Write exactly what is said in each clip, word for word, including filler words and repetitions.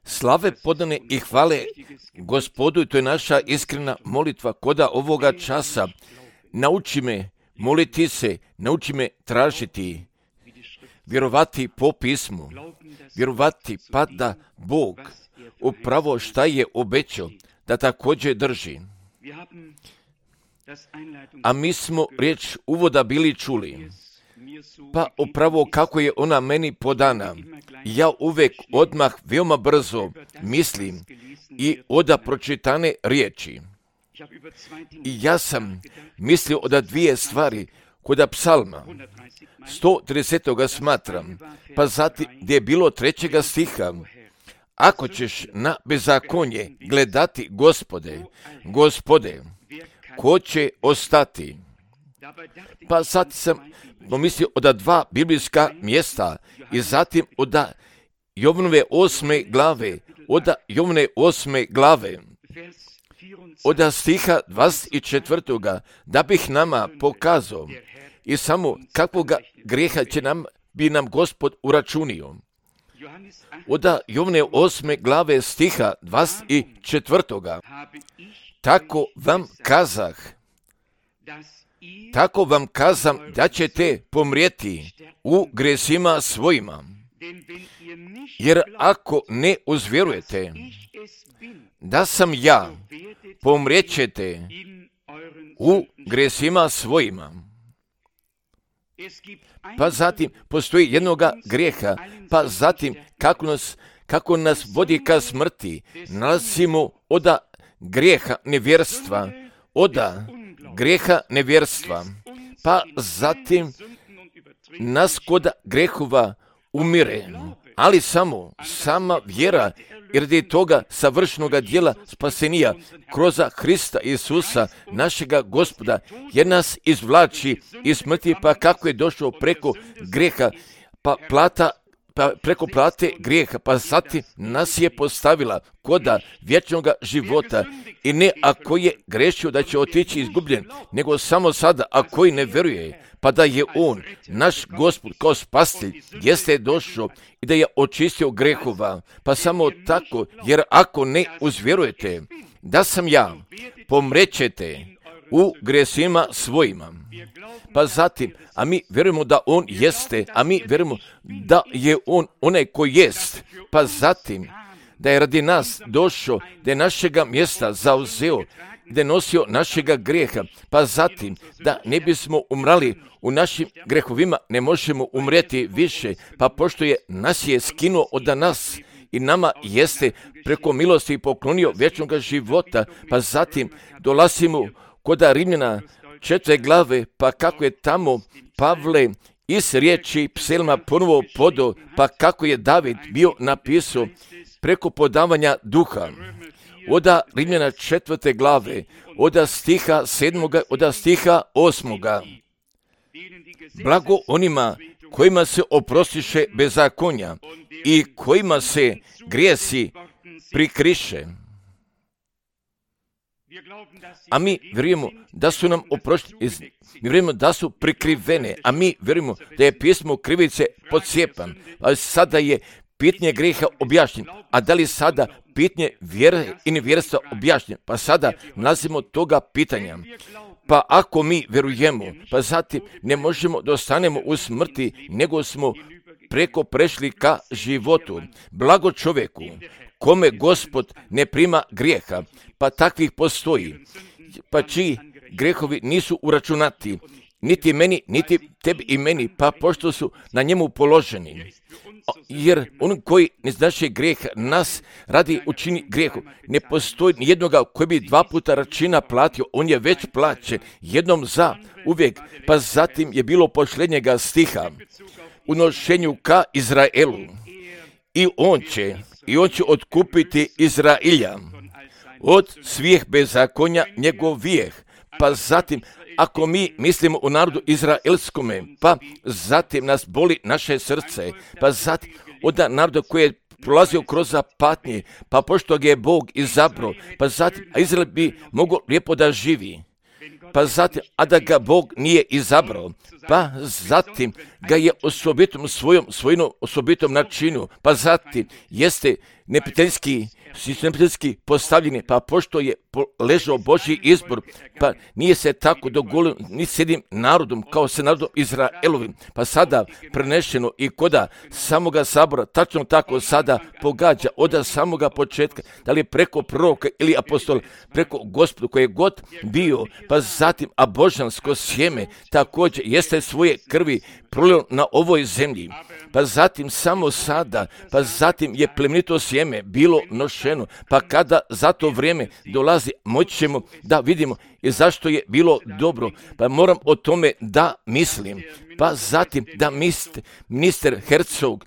Slave podane i hvale Gospodu, i to je naša iskrena molitva koda ovoga časa. Nauči me moliti se, nauči me tražiti, vjerovati po pismu, vjerovati pa da Bog upravo šta je obećao, da također drži. A mi smo riječ uvoda bili čuli, pa upravo kako je ona meni podana, ja uvijek odmah veoma brzo mislim i oda pročitane riječi. I ja sam mislio oda dvije stvari koda psalma sto trideset smatram, pa zatim gdje je bilo trećega stiha. Ako ćeš na bezakonje gledati, Gospode, Gospode, ko će ostati? Pa sad sam pomislio oda dva biblijska mjesta i zatim oda Jovnove osme glave, oda Jovne osme glave, oda stiha dvadeset četvrtoga da bih nama pokazao i samo kakvoga grijeha će nam, bi nam Gospod uračunio. Oda Jovne osme glave stiha dvadeset četvrtoga Tako vam kazah, tako vam kazam da ćete pomrijeti u gresima svojima. Jer ako ne uzvjerujete da sam ja, pomrijećete u gresima svojima. Pa zatim postoji jednoga grijeha, pa zatim kako nas, kako nas vodi ka smrti, nalazimo oda grijeha nevjerstva, oda grijeha nevjerstva, pa zatim nas kod grehova umire, ali samo sama vjera i radi toga savršenoga djela spasenija kroz Hrista Isusa, našega Gospoda, jer nas izvlači iz smrti, pa kako je došao preko grijeha, pa plata pa preko plate grijeha, pa zatim nas je postavila koda vječnog života. I ne ako je grešio da će otići izgubljen, nego samo sada ako i ne vjeruje, pa da je on, naš Gospod kao spasitelj, jeste došao i da je očistio grehova. Pa samo tako, jer ako ne uzvjerujete da sam ja, pomrećete u gresima svojima. Pa zatim, a mi vjerujemo da on jeste, a mi vjerujemo da je on onaj koji jest. Pa zatim, da je radi nas došao, da je našega mjesta zauzeo, da je nosio našega grijeha. Pa zatim, da ne bismo umrali u našim grehovima, ne možemo umrijeti više. Pa pošto je nas je skinuo od nas i nama jeste preko milosti poklonio vječnog života, pa zatim dolazimo koda Rimljana četvrte glave, pa kako je tamo Pavle iz riječi pselma ponovo podo, pa kako je David bio napisao preko podavanja duha. Oda Rimljana četvrte glave, oda stiha sedmoga, oda stiha osmoga. Blago onima kojima se oprostiše bezakonja i kojima se grijesi prikriše. A mi vjerujemo da su nam oprošteni, mi vjerujemo da su prikrivene, a mi vjerujemo da je pismo krivice podsjepan, ali sada je pitanje grijeha objašnjen, a da li sada pitanje vjere i nevjerstva objašnjen, pa sada nalazimo toga pitanja. Pa ako mi vjerujemo, pa zatim ne možemo da ostanemo u smrti, nego smo preko prešli ka životu. Blago čovjeku kome Gospod ne prima grijeha, pa takvih postoji, pa čiji grehovi nisu uračunati, niti meni, niti tebi i meni, pa pošto su na njemu položeni. Jer on koji ne znaše grijeh nas radi učini grijehu. Ne postoji nijednoga koji bi dva puta račina platio, on je već plaćen, jednom za uvijek, pa zatim je bilo posljednjega stiha u nošenju ka Izraelu. I on će, i on će otkupiti Izrailja od svih bezakonja njegovijeh. Pa zatim, ako mi mislimo u narodu izraelskome, pa zatim nas boli naše srce, pa zatim od naroda koji je prolazio kroz patnje, pa pošto ga je Bog izabrao, pa zatim, a Izrael bi mogao lijepo da živi. pa zatim, a da ga Bog nije izabrao, pa zatim ga je osobitom svojom svojinom osobitom načinu, pa zatim jeste neprijateljski, neprijateljski postavljeni, pa pošto je ležao Božji izbor, pa nije se tako dogovorilo ni s jednim narodom kao se narodom Izraelovim, pa sada prenešeno i koda samoga sabora, tačno tako sada pogađa od samoga početka, da li preko proroka ili apostola, preko Gospodu koji je god bio, pa zatim a božansko sjeme također jeste svoje krvi prolilo na ovoj zemlji, pa zatim samo sada, pa zatim je plemenito sjeme bilo nošeno, pa kada za to vrijeme dolazi, moći ćemo da vidimo i zašto je bilo dobro, pa moram o tome da mislim, pa zatim da ministar Herzog,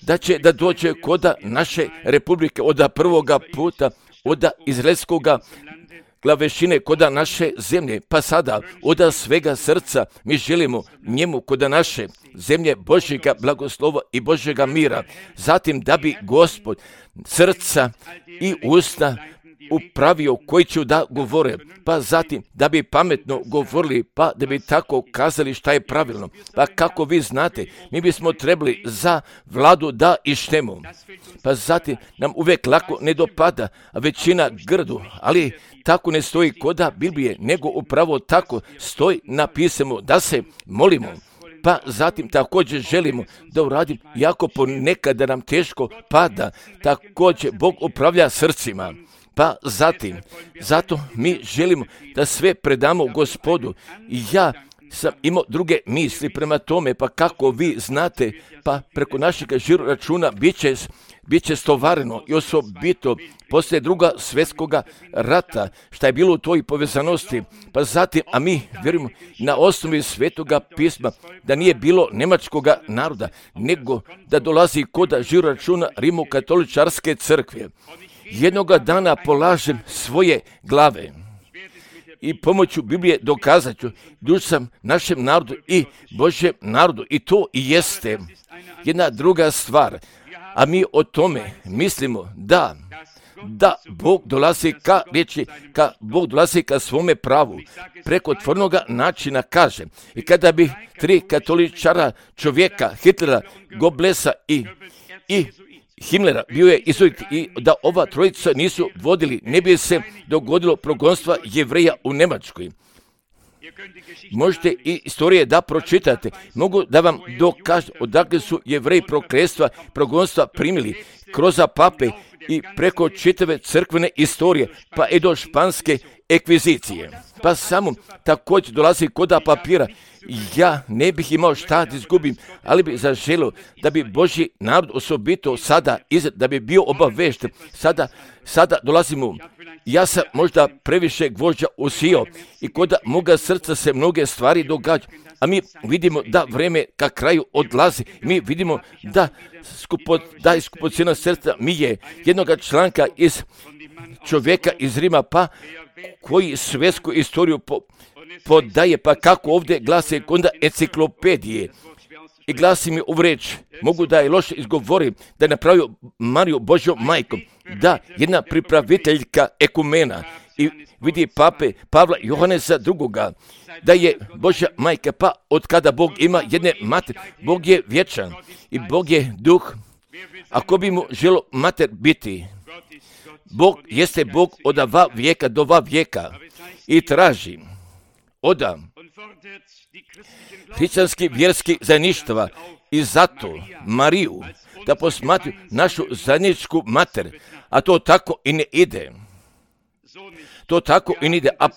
da će da dođe koda naše republike od prvoga puta, od izraelskoga glavešine koda naše zemlje, pa sada od svega srca mi želimo njemu koda naše zemlje Božjega blagoslova i Božjega mira, zatim da bi Gospod srca i usta upravio koji će da govore, pa zatim da bi pametno govorili, pa da bi tako kazali šta je pravilno. Pa kako vi znate, mi bismo trebali za vladu da ištemo, pa zatim nam uvijek lako ne dopada, a većina grdu, ali tako ne stoji koda Biblije, nego upravo tako stoji napisano da se molimo. Pa zatim također želimo da uradim, jako ponekad da nam teško pada, također Bog upravlja srcima. Pa zatim, zato mi želimo da sve predamo Gospodu. I ja sam imao druge misli prema tome, pa kako vi znate, pa preko našeg žiro računa bit će, bit će stovareno i osobito poslije druga svjetskoga rata, šta je bilo u toj povezanosti, pa zatim, a mi vjerujemo na osnovi svetoga pisma, da nije bilo njemačkoga naroda, nego da dolazi koda žiro računa Rimokatoličarske crkve. Jednoga dana polažem svoje glave i pomoću Biblije dokazat ću duž sam našem narodu i Božjem narodu i to i jeste jedna druga stvar, a mi o tome mislimo da da Bog dolazi ka riječi, ka Bog dolazi ka svome pravu, preko tvornoga načina kaže. I kada bi tri katoličara čovjeka, Hitlera, Goebbelsa i, i Himmlera bio je izuzet i da ova trojica nisu vodili, ne bi se dogodilo progonstva Jevreja u Njemačkoj. Možete i istorije da pročitate. Mogu da vam dokažem odakle su Jevreji prokletstva, progonstva primili kroz pape i preko čitave crkvene istorije, pa i do španske ekvizicije. Pa samo također dolazi koda papira. Ja ne bih imao šta da izgubim, ali bi zaželio da bi Božji narod osobito sada, da bi bio obavešten. Sada, sada dolazimo, ja sam možda previše gvožđa usio i kod moga srca se mnoge stvari događaju, a mi vidimo da vreme ka kraju odlazi. Mi vidimo da, skupo, da je skupocjena srca mi je jednoga članka iz čovjeka iz Rima, pa koji svjetsku istoriju po, podaje, pa kako ovdje glasi konda enciklopedije i glasi mi u reč, mogu da je loše izgovorim, da je napravio Mariju Božjom majkom, da jedna pripraviteljka ekumena i vidi pape Pavla Johanesa drugoga, da je Božja majka, pa od kada Bog ima jedne mater, Bog je vječan i Bog je duh, ako bi mu želo mater biti, Bog jeste Bog od va vijeka do va vijeka i traži oda hrišćanski vjerski zajedništva i zato Mariju da posmatruju našu zajedničku mater, a to tako i ne ide. To tako i ne ide, a,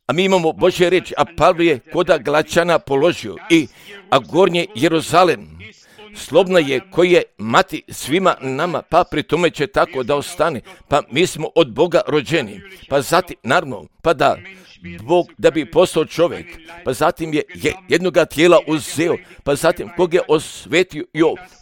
a mi imamo Božje riječi, a Pavlo je koda Galačana položio i a gornje Jeruzalem slobna je koji je mati svima nama, pa pri tome će tako da ostane, pa mi smo od Boga rođeni, pa zatim, naravno, pa da Bog da bi postao čovjek, pa zatim je, je jednoga tijela uzeo, pa zatim kog je osvetio,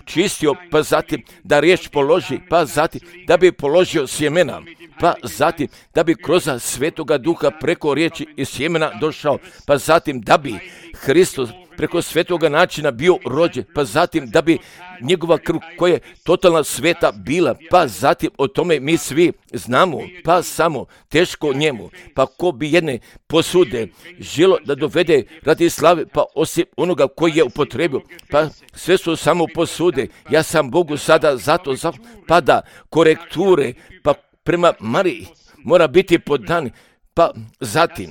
čistio, pa zatim da riječ položi, pa zatim da bi položio sjemena, pa zatim da bi kroz svetoga duha preko riječi i sjemena došao, pa zatim da bi Hristos preko svetoga načina bio rođen, pa zatim da bi njegova krv koja je totalna sveta bila, pa zatim o tome mi svi znamo, pa samo teško njemu, pa ko bi jedne posude želo da dovede radi slave, pa osim onoga koji je upotrebio, pa sve su samo posude. Ja sam Bogu sada zato, za, pa da korekture, pa prema Mariji mora biti podan, pa zatim,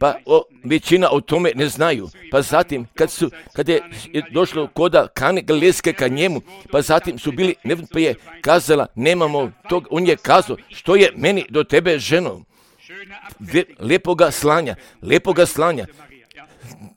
pa o, većina o tome ne znaju, pa zatim kad su, kad je došlo koda Kane Galilejske ka njemu, pa zatim su bili, ne, pa je kazala, nemamo tog, on je kazao, što je meni do tebe, ženo, Ve, lepoga slanja, lepoga slanja,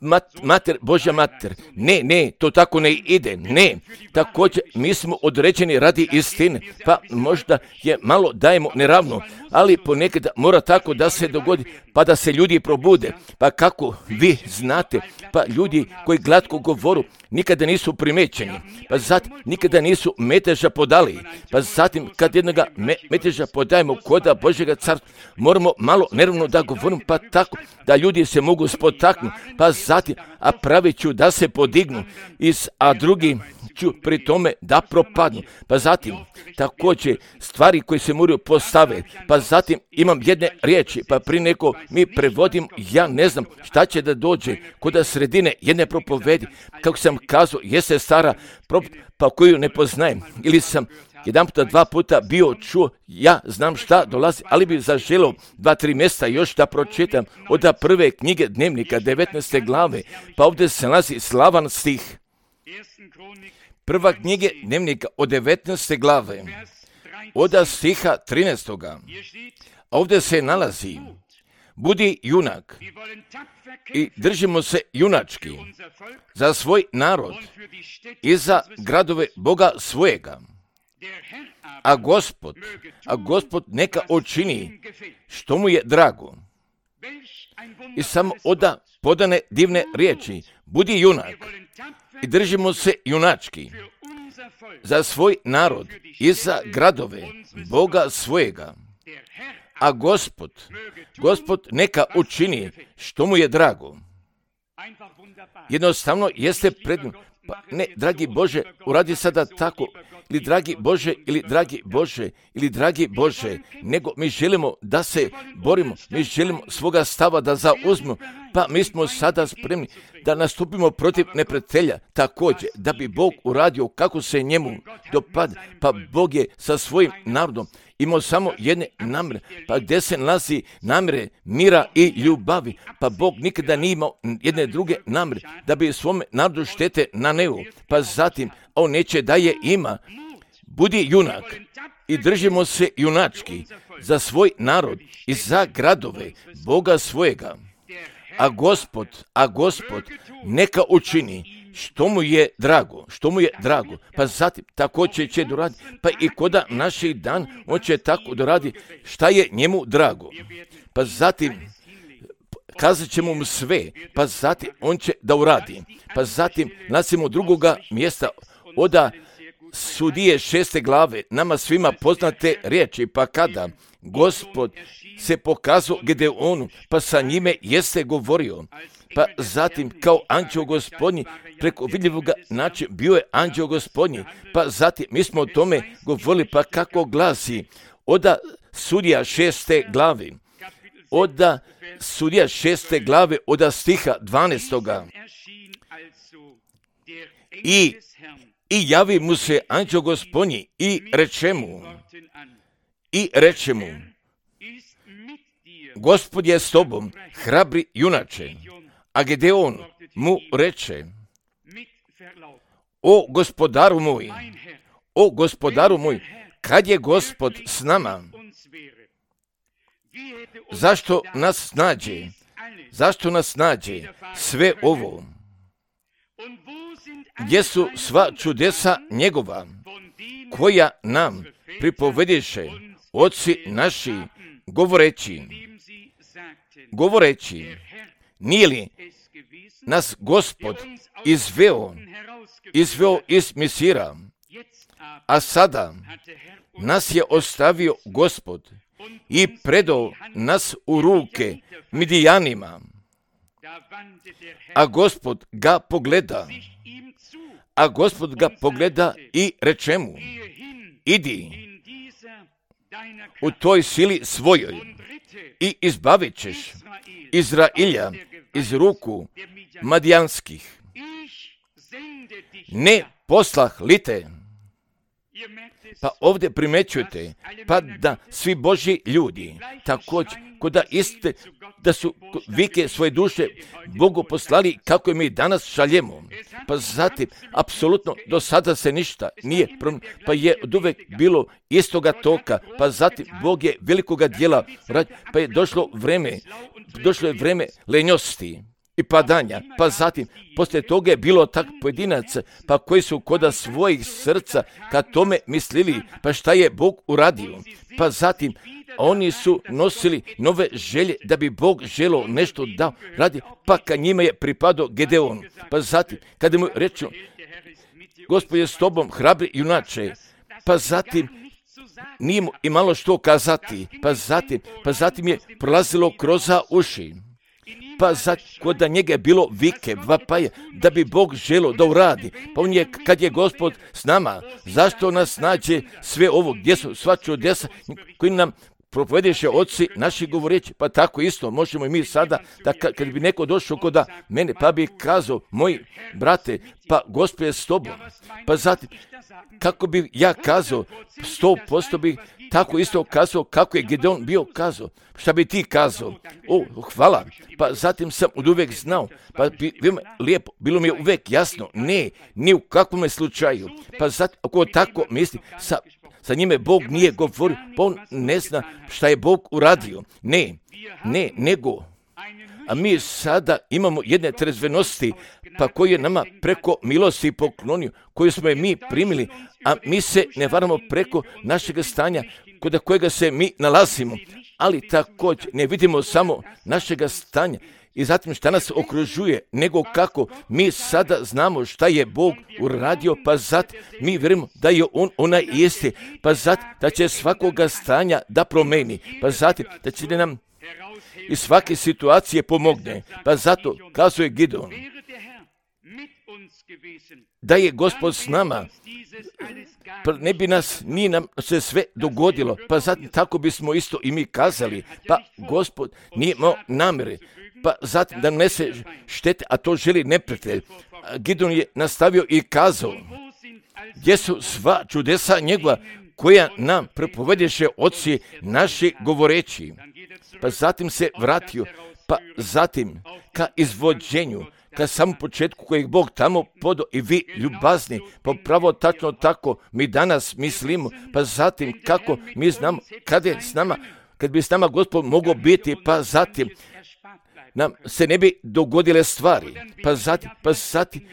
Mat, mater, Božja mater, ne, ne, to tako ne ide, ne, također mi smo određeni radi istine, pa možda je malo dajemo neravno, ali ponekad mora tako da se dogodi, pa da se ljudi probude, pa kako vi znate, pa ljudi koji glatko govoru nikada nisu primećeni, pa zatim nikada nisu meteža podali, pa zatim kad jednoga me, meteža podajemo koda Božjega carstva, moramo malo neravno da govorimo, pa tako da ljudi se mogu spotaknuti, pa zatim, a pravit ću da se podignu, iz, a drugi ću pri tome da propadnu. Pa zatim, također stvari koje se moraju postave, pa zatim imam jedne riječi, pa pri neko mi prevodim, ja ne znam šta će da dođe kod sredine jedne propovedi, kako sam kazao, jeste stara propoved, pa koju ne poznajem, ili sam jedan puta, dva puta bio čuo, ja znam šta dolazi, ali bi zaželio dva, tri mjesta još da pročitam od prve knjige Dnevnika, devetnaeste glave, pa ovdje se nalazi slavan stih. Prva knjige Dnevnika od devetnaeste glave, od stiha trinaestoga. Ovdje se nalazi, budi junak i držimo se junački za svoj narod i za gradove Boga svojega. A Gospod, a Gospod neka učini što mu je drago. I samo oda podane divne riječi, budi junak i držimo se junački za svoj narod i za gradove Boga svojega. A Gospod, Gospod neka učini što mu je drago. Jednostavno jeste predno, pa ne, dragi Bože, uradi sada tako, ili dragi Bože, ili dragi Bože, ili dragi Bože, nego mi želimo da se borimo, mi želimo svoga stava da zauzmemo, pa mi smo sada spremni da nastupimo protiv neprijatelja, također da bi Bog uradio kako se njemu dopada, pa Bog je sa svojim narodom imao samo jedne namjere, pa gdje se nalazi namjere mira i ljubavi, pa Bog nikada nije imao jedne druge namjere, da bi svome narodu štete naneo, pa zatim on neće da je ima. Budi junak i držimo se junački za svoj narod i za gradove Boga svojega. A Gospod, a Gospod neka učini što mu je drago, što mu je drago, pa zatim također će doraditi, pa i koda naših dan on će tako doraditi šta je njemu drago, pa zatim kazat ćemo mu sve, pa zatim on će da uradi, pa zatim nalazimo drugoga mjesta oda Sudije šeste glave, nama svima poznate riječi, pa kada Gospod se pokazao Gedeonu, pa sa njime jeste govorio, pa zatim kao anđeo gospodnji, preko vidljivoga načina bio je anđeo gospodnji, pa zatim mi smo o tome govorili, pa kako glasi, oda Sudija šeste glave, oda Sudija šeste glave, oda stiha dvanaestoga. I I javi mu se anđeo gospodnji i reče mu, i reče mu, Gospod je s tobom, hrabri junače. A Gedeon mu reče, o gospodaru moj, o gospodaru moj, kad je Gospod s nama, zašto nas nađe, zašto nas nađe sve ovo? Gdje su sva čudesa njegova, koja nam pripovediše oci naši, govoreći, govoreći, nije li nas Gospod izveo, izveo iz Misira, a sada nas je ostavio Gospod i predao nas u ruke Midijanima. a Gospod ga pogleda, a Gospod ga pogleda i reče mu, idi u toj sili svojoj i izbavit ćeš Izrailja iz ruku Madijanskih. Ne poslah li te? Pa ovdje primećujete, pa da svi Božji ljudi također, ko da iste, da su vike svoje duše Bogu poslali kako mi danas šaljemo. Pa zatim, apsolutno, do sada se ništa nije promijenilo, pa je od uvek bilo istoga toka, pa zatim Bog je velikoga djela, pa je došlo vreme, došlo je vreme lenjosti i padanja, pa zatim, poslije toga je bilo tak pojedinaca, pa koji su koda svojih srca ka tome mislili, pa šta je Bog uradio, pa zatim, oni su nosili nove želje da bi Bog želio nešto dao radi, pa ka njima je pripadao Gedeon, pa zatim, kada mu reču, Gospod je s tobom, hrabri junače, pa zatim, nije mu imalo što kazati, pa zatim, pa zatim je prolazilo kroz uši. Pa sad, kod da njega je bilo vike, vapaje, da bi Bog želio da uradi. Pa on je, kad je Gospod s nama, zašto nas nađe sve ovo, gdje su sva čudesa koji nam propovjedeše oci naši govoreći, pa tako isto možemo i mi sada, da kad bi neko došao kod mene, pa bi kazao, moji brate, pa Gospod je s tobom, pa zatim, kako bi ja kazao, sto posto bi tako isto kazao kako je Gedeon bio kazao. Šta bi ti kazao? O, hvala. Pa zatim sam od uvek znao. Pa bi, lijepo, bilo mi je uvek jasno. Ne, ni u kakvom slučaju. Pa zatim, ako tako misli, sa, sa njime Bog nije govorio, pa on ne zna šta je Bog uradio. Ne, ne, nego. A mi sada imamo jedne trezvenosti, pa koji je nama preko milosti poklonio, koju smo je mi primili, a mi se ne varamo preko našeg stanja, kod kojega se mi nalazimo, ali također ne vidimo samo našega stanja i zatim šta nas okružuje, nego kako mi sada znamo šta je Bog uradio, pa zatim mi vjerujemo da je On onaj isti, pa zatim da će svakoga stanja da promeni, pa zatim da će nam iz svake situacije pomogne, pa zato kazuje Gideon, da je Gospod s nama, pa ne bi nas, nije nam se sve dogodilo, pa zatim tako bismo isto i mi kazali, pa Gospod nije imao namjere, pa zatim da nese štete, a to želi neprijatelj. Gideon je nastavio i kazao, gdje su sva čudesa njegova, koja nam prepovedeše oci naši govoreći. Pa zatim se vratio, pa zatim ka izvođenju, ka samom početku kojeg Bog tamo podo i vi ljubazni, pa pravo tačno tako mi danas mislimo, pa zatim kako mi znamo kada je s nama, kad bi s nama Gospod mogao biti, pa zatim nam se ne bi dogodile stvari, pa zatim, pa zatim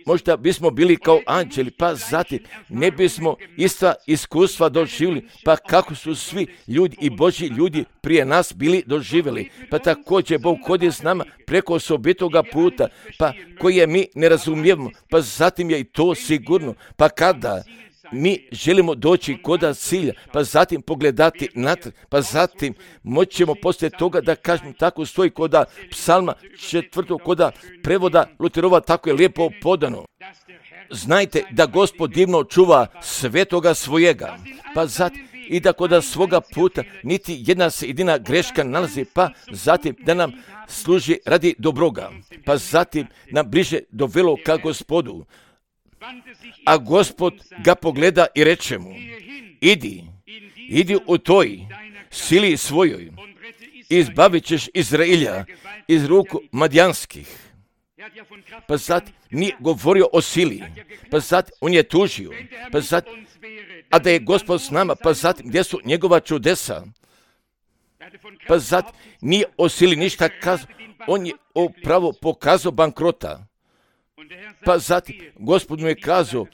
možda bismo bili kao anđeli, pa zatim ne bismo ista iskustva doživjeli, pa kako su svi ljudi i Božji ljudi prije nas bili doživjeli, pa također Bog hodi s nama preko osobitoga puta, pa koje mi ne razumijemo, pa zatim je i to sigurno, pa kada mi želimo doći koda cilja, pa zatim pogledati natrag, pa zatim moćemo poslije toga da kažemo tako stoji koda psalma četvrtog, koda prevoda Luterova, tako je lijepo podano. Znajte da Gospod divno čuva svetoga svojega, pa zatim i da koda svoga puta niti jedna se jedina greška nalazi, pa zatim da nam služi radi dobroga, pa zatim nam bliže dovelo ka Gospodu. A Gospod ga pogleda i reče mu, idi, idi u toj sili svojoj, izbavit ćeš Izrailja iz ruku Madijanskih. Pa zatim nije govorio o sili, pa zatim on je tužio, pa zatim, a da je Gospod s nama, pa zatim gdje su njegova čudesa, pa zatim nije o sili ništa kazao, on je upravo pokazao bankrota. Pa zatim Gospod mu je kazao,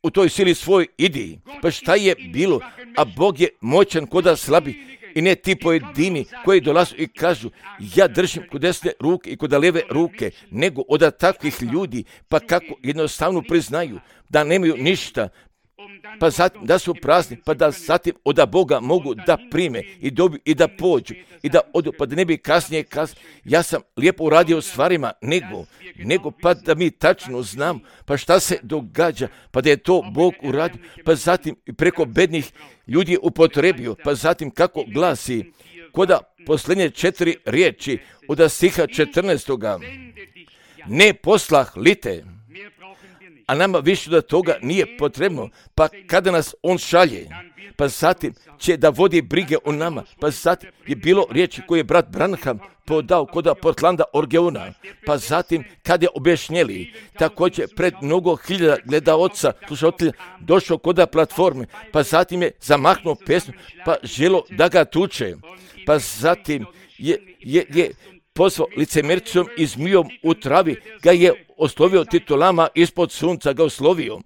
u toj sili svoj idi, pa šta je bilo, a Bog je moćan koda slabi i ne ti pojedini koji dolazu i kažu, ja držim kod desne ruke i kod leve ruke, nego od takvih ljudi, pa kako jednostavno priznaju da nemaju ništa, pa zatim da su prazni, pa da zatim od Boga mogu da prime i dobiju i da pođu i da odu, pa da ne bi kasnije kasnije, ja sam lijepo uradio stvarima, nego, nego pa da mi tačno znam, pa šta se događa, pa da je to Bog uradio, pa zatim preko bednih ljudi upotrebio, pa zatim kako glasi, koda posljednje četiri riječi od stiha četrnaestoga, ne poslah li te, a nama više da toga nije potrebno, pa kada nas on šalje, pa zatim će da vodi brige o nama, pa zatim je bilo riječi koje je brat Branham podao koda Portlanda Orgeona, pa zatim kad je objašnjeli, također pred mnogo hiljada gledaoca, slušatelja, došao koda platforme, pa zatim je zamahnuo pesmu, pa želo da ga tuče, pa zatim je, je, je pozvao licemercom i zmijom u travi, ga je oslovio titulama ispod sunca, ga oslovio.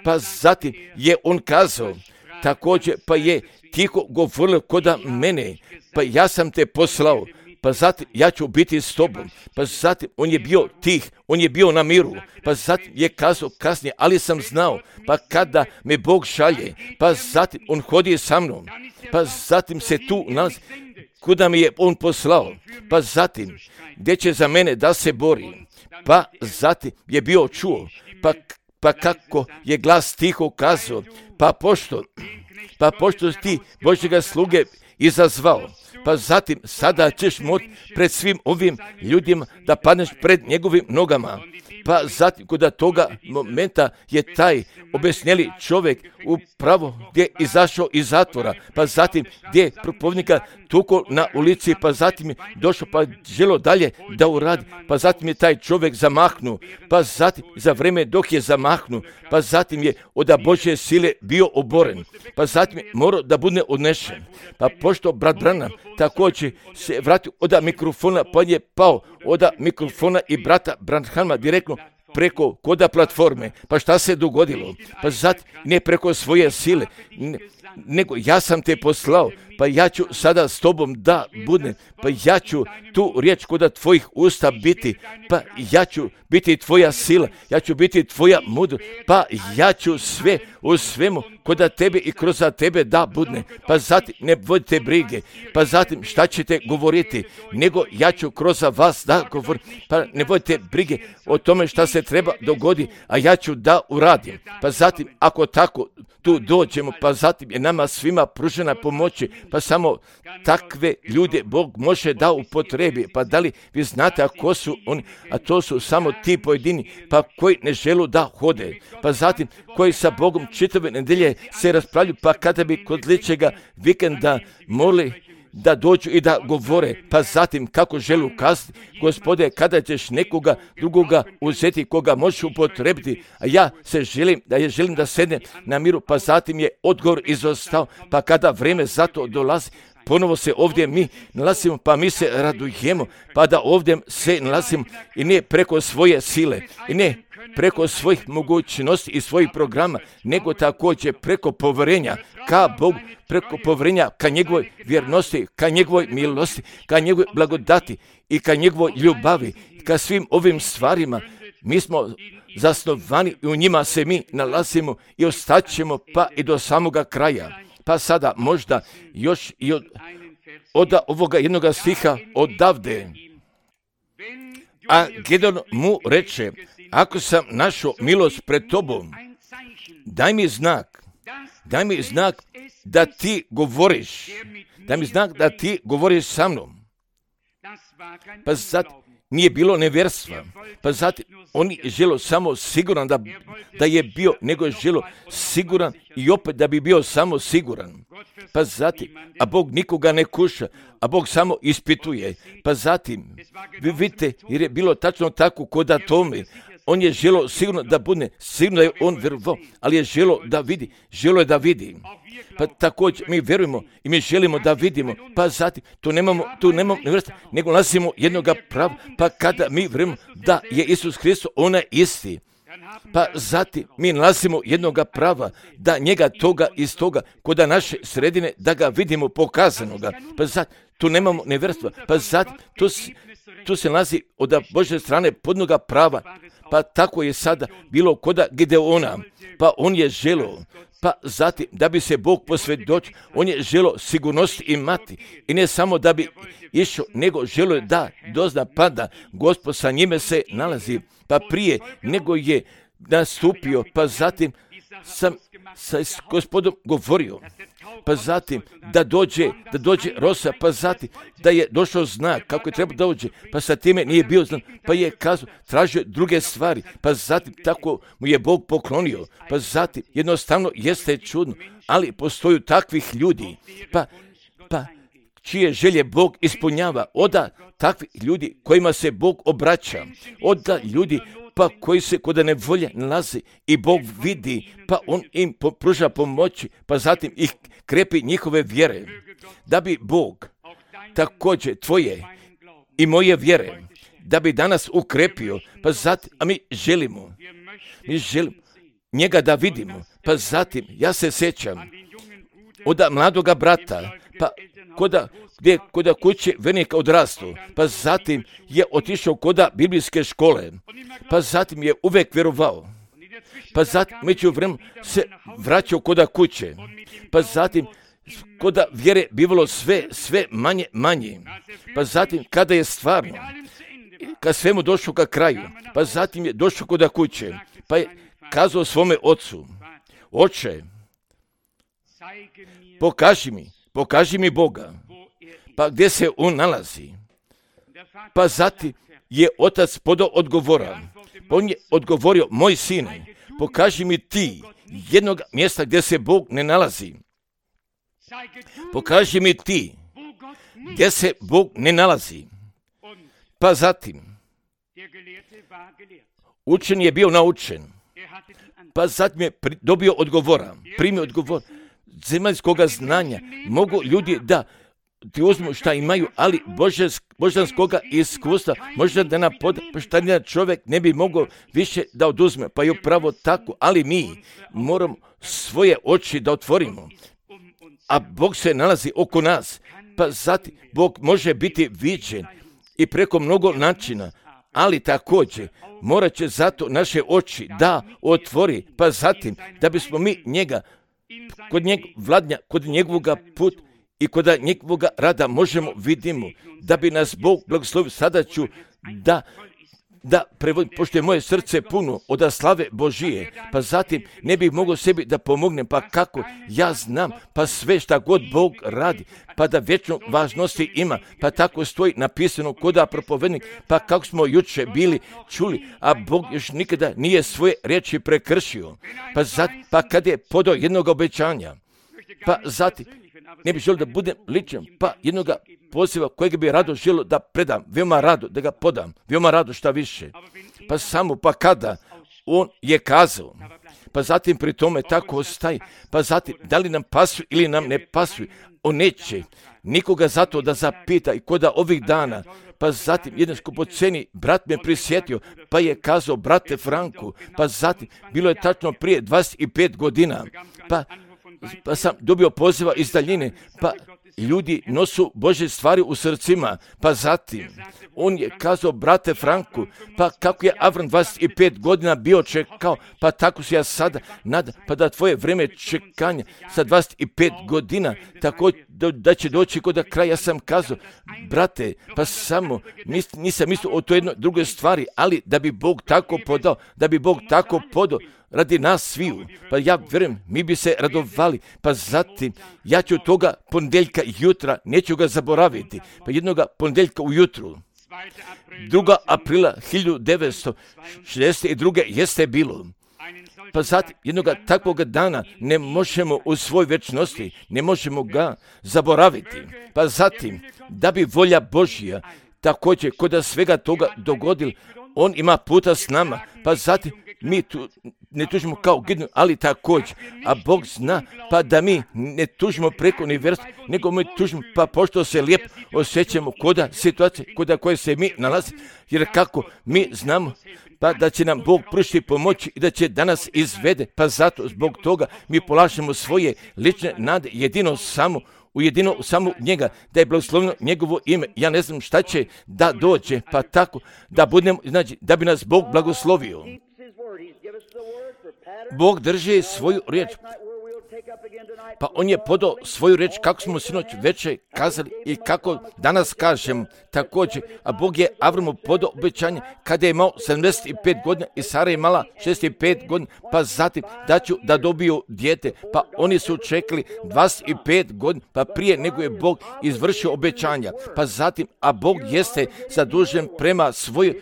Pa zatim je on kazao, također pa je tiho govorio koda mene, pa ja sam te poslao, pa zatim ja ću biti s tobom, pa zatim on je bio tih, on je bio na miru, pa zatim je kazao kasnije, ali sam znao, pa kada me Bog šalje, pa zatim on hodi sa mnom, pa zatim se tu nalazi, kuda mi je on poslao, pa zatim gdje će za mene da se bori, pa zatim je bio čuo, pa, pa kako je glas tiho kazao, pa pošto, pa pošto ti Božjega sluge izazvao, pa zatim sada ćeš moći pred svim ovim ljudima da padneš pred njegovim nogama. Pa zatim kod toga momenta je taj obesnjeli čovjek upravo gdje je izašao iz zatvora, pa zatim gdje je propovjednika tukao na ulici, pa zatim je došao pa želo dalje da uradi, pa zatim je taj čovjek zamahnuo, pa zatim za vrijeme dok je zamahnuo, pa zatim je od Božje sile bio oboren, pa zatim je morao da bude odnešen. Pa pošto brat Branham također se vratio od mikrofona, pa je pao od mikrofona i brata Branhama direktno preko koda platforme. Pa šta se dogodilo? Pa zatim ne preko svoje sile, ne, nego ja sam te poslao, pa ja ću sada s tobom da budem, pa ja ću tu riječ koda tvojih usta biti, pa ja ću biti tvoja sila, ja ću biti tvoja mudrost, pa ja ću sve u svemu koda tebe i kroz tebe da budne, pa zatim ne vodite brige, pa zatim šta ćete govoriti, nego ja ću kroz vas da govorim, pa ne vodite brige o tome šta se treba dogodi, a ja ću da uradim, pa zatim ako tako tu dođemo, pa zatim je nama svima pružena pomoći, pa samo takve ljude Bog može da upotrebi. Pa da li vi znate ako su oni, a to su samo ti pojedini, pa koji ne želu da hode, pa zatim koji sa Bogom čitave nedelje se raspravljaju, pa kada bi kod ličega vikenda morali da dođu i da govore, pa zatim kako želu kazati, Gospode, kada ćeš nekoga drugoga uzeti koga možeš upotrebiti, a ja se želim da je želim da sednem na miru, pa zatim je odgovor izostao, pa kada vrijeme za to dolazi, ponovo se ovdje mi nalazimo, pa mi se radujemo, pa da ovdje se nalazimo i ne preko svoje sile, i ne preko svojih mogućnosti i svojih programa, nego također preko povjerenja ka Bogu, preko povjerenja ka njegovoj vjernosti, ka njegovoj milosti, ka njegovoj blagodati i ka njegovoj ljubavi, ka svim ovim stvarima. Mi smo zasnovani i u njima se mi nalazimo i ostaćemo pa i do samoga kraja. Pa sada možda još i od, od ovoga jednoga stiha odavde. A Gedeon mu reče, ako sam našao milost pred tobom, daj mi znak, daj mi znak da ti govoriš, daj mi znak da ti govoriš sa mnom. Pa sad nije bilo nevjerstva, pa zatim on je želo samo siguran da, da je bio, nego je želo siguran i opet da bi bio samo siguran. Pa zatim, a Bog nikoga ne kuša, a Bog samo ispituje. Pa zatim, vi vidite, jer je bilo tačno tako kod Atome, on je želo sigurno da bude, sigurno da je on vjerovao, ali je želo da vidi, želo je da vidi. Pa također mi vjerujemo i mi želimo da vidimo, pa zatim tu nemamo, tu nemamo nevjerstva, nego nalazimo jednoga prava, pa kada mi vjerujemo da je Isus Hristos onaj isti, pa zatim mi nalazimo jednoga prava, da njega toga iz toga, koda naše sredine, da ga vidimo pokazanoga, pa zatim tu nemamo nevjerstva, pa zatim tu, tu se nalazi od Božje strane podnoga prava, pa tako je sada bilo koda Gideona, pa on je želio, pa zatim da bi se Bog posvjedočio, on je želio sigurnost imati i ne samo da bi išao, nego želio da dozna pa da Gospod sa njime se nalazi, pa prije nego je nastupio, pa zatim sam sa Gospodom govorio, pa zatim da dođe, da dođe rosa, pa zatim da je došao znak kako je treba dođe, pa sa time nije bio znak, pa je kazao, tražio druge stvari, pa zatim tako mu je Bog poklonio, pa zatim jednostavno jeste čudno, ali postoju takvih ljudi, pa, pa čije želje Bog ispunjava, oda takvih ljudi kojima se Bog obraća, oda ljudi pa koji se kod nevolje nalazi i Bog vidi, pa on im pruža pomoći, pa zatim ih krepi njihove vjere, da bi Bog također tvoje i moje vjere, da bi danas ukrepio, pa zatim, a mi želimo, mi želimo njega da vidimo, pa zatim, ja se sjećam od mladoga brata, pa koda, gdje koda kuće vernika odrastu, pa zatim je otišao koda biblijske škole, pa zatim je uvek vjerovao, pa zatim među vremenu se vraćao koda kuće, pa zatim koda vjere bivalo sve, sve manje, manje, pa zatim kada je stvarno, kad svemu došao ka kraju, pa zatim je došao koda kuće, pa je kazao svome ocu, oče, pokaži mi, pokaži mi Boga, pa gdje se on nalazi, pa zatim je otac podao odgovora, pa on je odgovorio, moj sine, pokaži mi ti jednog mjesta gdje se Bog ne nalazi, pokaži mi ti gdje se Bog ne nalazi, pa zatim učen je bio naučen, pa zatim je dobio odgovora, primio odgovor zemaljskoga znanja, mogu ljudi da ti uzmu šta imaju, ali božanskoga iskustva, možda da nam poda, pa šta jedan čovjek ne bi mogao više da oduzme, pa je upravo tako, ali mi moramo svoje oči da otvorimo, a Bog se nalazi oko nas, pa zatim Bog može biti viđen i preko mnogo načina, ali također morat će zato naše oči da otvori, pa zatim da bismo mi njega kod njeg vladnja, kod njegovoga put i kod njegovoga rada možemo vidimo, da bi nas Bog blagoslovio. Sada ću da, da prevodim, pošto je moje srce puno od slave Božije, pa zatim ne bih mogao sebi da pomognem, pa kako ja znam, pa sve šta god Bog radi, pa da vječno važnosti ima, pa tako stoji napisano koda propovednik, pa kako smo juče bili čuli, a Bog još nikada nije svoje riječi prekršio, pa zatim, pa kad je podao jednog obećanja, pa zatim, ne bih želio da budem ličan, pa jednoga poziva kojeg bi rado želio da predam, veoma rado da ga podam, veoma rado šta više, pa samo pa kada on je kazao, pa zatim pri tome tako ostaje, pa zatim da li nam pasuje ili nam ne pasuje, on neće nikoga zato da zapita i koda ovih dana, pa zatim jedan skupoceni brat me prisjetio, pa je kazao, brate Franku, pa zatim bilo je tačno prije dvadeset pet godina, pa pa sam dobio poziva iz daljine, pa ljudi nosu Božje stvari u srcima, pa zatim on je kazao, brate Franku, pa kako je Avram dvadeset pet godina bio čekao, pa tako se ja sada nadam, pa da tvoje vreme čekanja sa dvadeset pet godina, tako da, da će doći kod kraja. Ja sam kazao, brate, pa samo nis, nisam mislio o toj jednoj drugoj stvari, ali da bi Bog tako podao, da bi Bog tako podao, radi nas sviju, pa ja vjerujem, mi bi se radovali, pa zatim ja ću toga ponedjeljka jutra, neću ga zaboraviti, pa jednoga ponedjeljka ujutru, drugog aprila hiljadu devetsto šezdeset druge jeste bilo, pa zatim jednoga takvog dana ne možemo u svoj vječnosti, ne možemo ga zaboraviti, pa zatim da bi volja Božja također kod svega toga dogodila, on ima puta s nama, pa zatim mi tu ne tužimo kao Gideon, ali također, a Bog zna, pa da mi ne tužimo preko univerza, nego mi tužimo, pa pošto se lijepo osjećamo koda situacije, koda koje se mi nalazi, jer kako mi znamo, pa da će nam Bog pružiti pomoći i da će danas izvede, pa zato zbog toga mi polažemo svoje lične nade jedino samo ujedino u samu njega, da je blagosloveno njegovo ime. Ja ne znam šta će da dođe, pa tako da budemo, znači, da bi nas Bog blagoslovio. Bog drži svoju riječ. Pa on je podao svoju riječ kako smo sinoć večer kazali i kako danas kažem također. A Bog je Avramu podao obećanje kada je imao sedamdeset pet godina i Sara je imala šezdeset pet godina, pa zatim da ću da dobiju dijete. Pa oni su čekali dvadeset pet godina, pa prije nego je Bog izvršio obećanja. Pa zatim, a Bog jeste zadužen prema svojoj,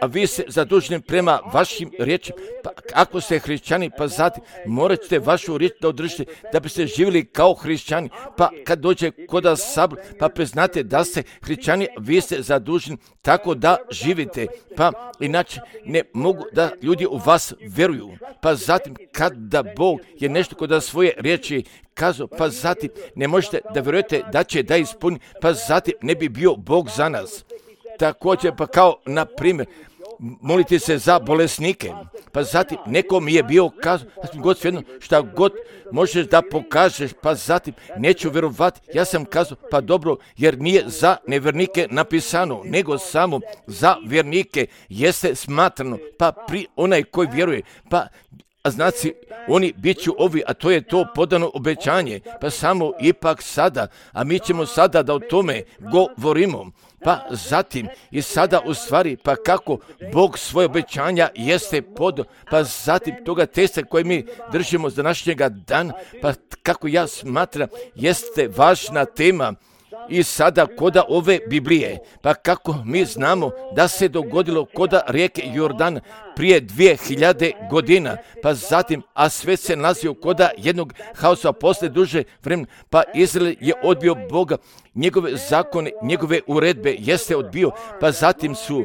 a vi ste zaduženi prema vašim riječima. Pa ako ste hrišćani, pa zatim morat ćete vašu riječ da održite, da biste živjeli kao hrišćani. Pa kad dođe kod sabor, pa priznate da ste hrišćani, vi ste zaduženi tako da živite. Pa inače ne mogu da ljudi u vas vjeruju. Pa zatim kada Bog je nešto kod svoje riječi kazao, pa zatim ne možete da vjerujete da će da ispuni, pa zatim ne bi bio Bog za nas. Također, pa kao na primjer, molite se za bolesnike, pa zatim neko mi je bio kazao, God svejedno šta god možeš da pokažeš, pa zatim neću vjerovati. Ja sam kazao, pa dobro, jer nije za nevjernike napisano, nego samo za vjernike jeste smatrano, pa pri onaj koji vjeruje, pa a znači, oni bit će ovi, a to je to podano obećanje, pa samo ipak sada, a mi ćemo sada da o tome govorimo. Pa zatim i sada u stvari, pa kako Bog svoje obećanja jeste podao, pa zatim toga testa koje mi držimo za današnjega dana, pa kako ja smatram, jeste važna tema. I sada koda ove Biblije, pa kako mi znamo da se dogodilo koda rijeke Jordan prije dvije hiljade godina, pa zatim, a sve se nalazio koda jednog haosa posle duže vremena, pa Izrael je odbio Boga, njegove zakone, njegove uredbe jeste odbio, pa zatim su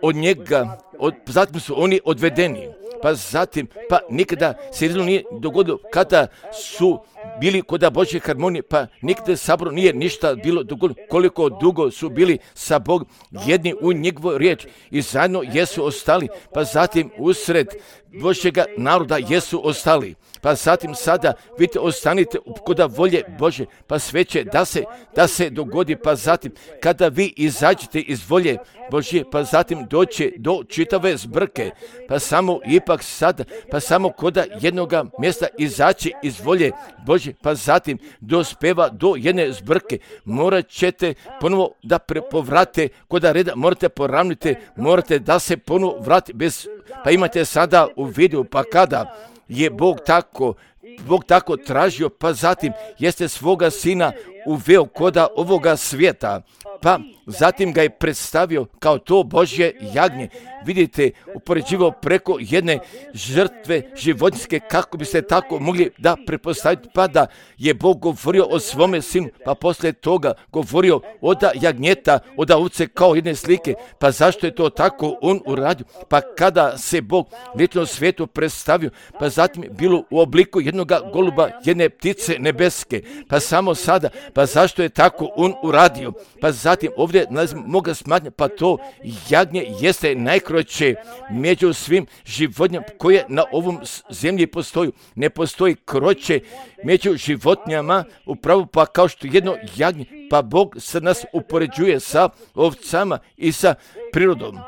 od njega, od, zatim su oni odvedeni, pa zatim, pa nikada se Izraelu nije dogodilo kada su bili kod Božje harmonije, pa nikada sabor nije ništa bilo dogodilo, koliko dugo su bili sa Bogom, jedni u njegovoj riječ i zajedno jesu ostali, pa zatim usred Božjega naroda jesu ostali. Pa zatim sada, vidite, ostanite kod volje Bože, pa sve će da se, da se dogodi, pa zatim kada vi izađete iz volje Božje, pa zatim doće do čitave zbrke, pa samo ipak sada, pa samo kod jednoga mjesta izaći iz volje Božje, pa zatim dospeva do jedne zbrke, morat ćete ponovo da povrate kod reda, morate poravniti, morate da se ponovo vrati bez, pa imate sada u vidu, pa kada je Bog tako, Bog tako tražio, pa zatim jeste svoga sina uveo koda ovoga svijeta, pa zatim ga je predstavio kao to Božje jagnje. Vidite, upoređivao preko jedne žrtve životinjske, kako biste tako mogli da pretpostaviti, pa da je Bog govorio o svome sinu, pa poslije toga govorio od jagnjeta, od ovce kao jedne slike, pa zašto je to tako on uradio? Pa kada se Bog lično svijetu predstavio, pa zatim bilo u obliku jednoga goluba, jedne ptice nebeske, pa samo sada, pa zašto je tako on uradio? Pa zatim ovdje moga smatnja, pa to jagnje jeste najkroće među svim životinjama koje na ovom zemlji postoji. Ne postoji kroće među životinjama, upravo pa kao što jedno jagnje, pa Bog se nas upoređuje sa ovcama i sa prirodom.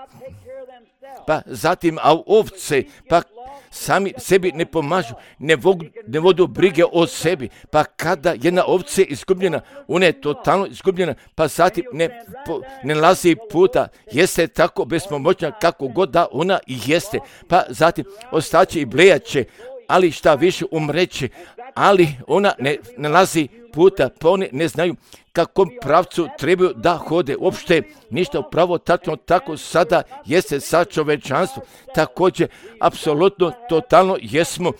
Pa zatim, a ovce, pa sami sebi ne pomažu, ne, vog, ne vodu brige o sebi, pa kada jedna ovca je izgubljena, ona je totalno izgubljena, pa zatim ne, po, ne lazi puta, jeste tako bespomoćna kako god da ona i jeste, pa zatim ostaće i blejaće, ali šta više umreće, ali ona ne, ne lazi puta, pa oni ne znaju kakvom pravcu trebaju da hode. Uopšte ništa upravo tako, tako sada jeste sa čovečanstvom. Također, apsolutno, totalno jesmo,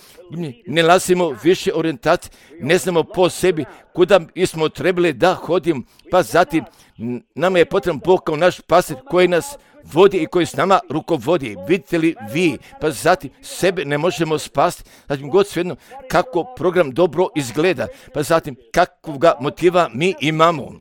ne lazimo više orijentacije, ne znamo po sebi kuda smo trebali da hodimo, pa zatim nama je potreban Bog kao naš pastir koji nas vodi i koji s nama rukovodi. Vidite li vi, pa zatim sebe ne možemo spasti, zatim god svejedno kako program dobro izgleda, pa zatim kakvog motiva mi imamo,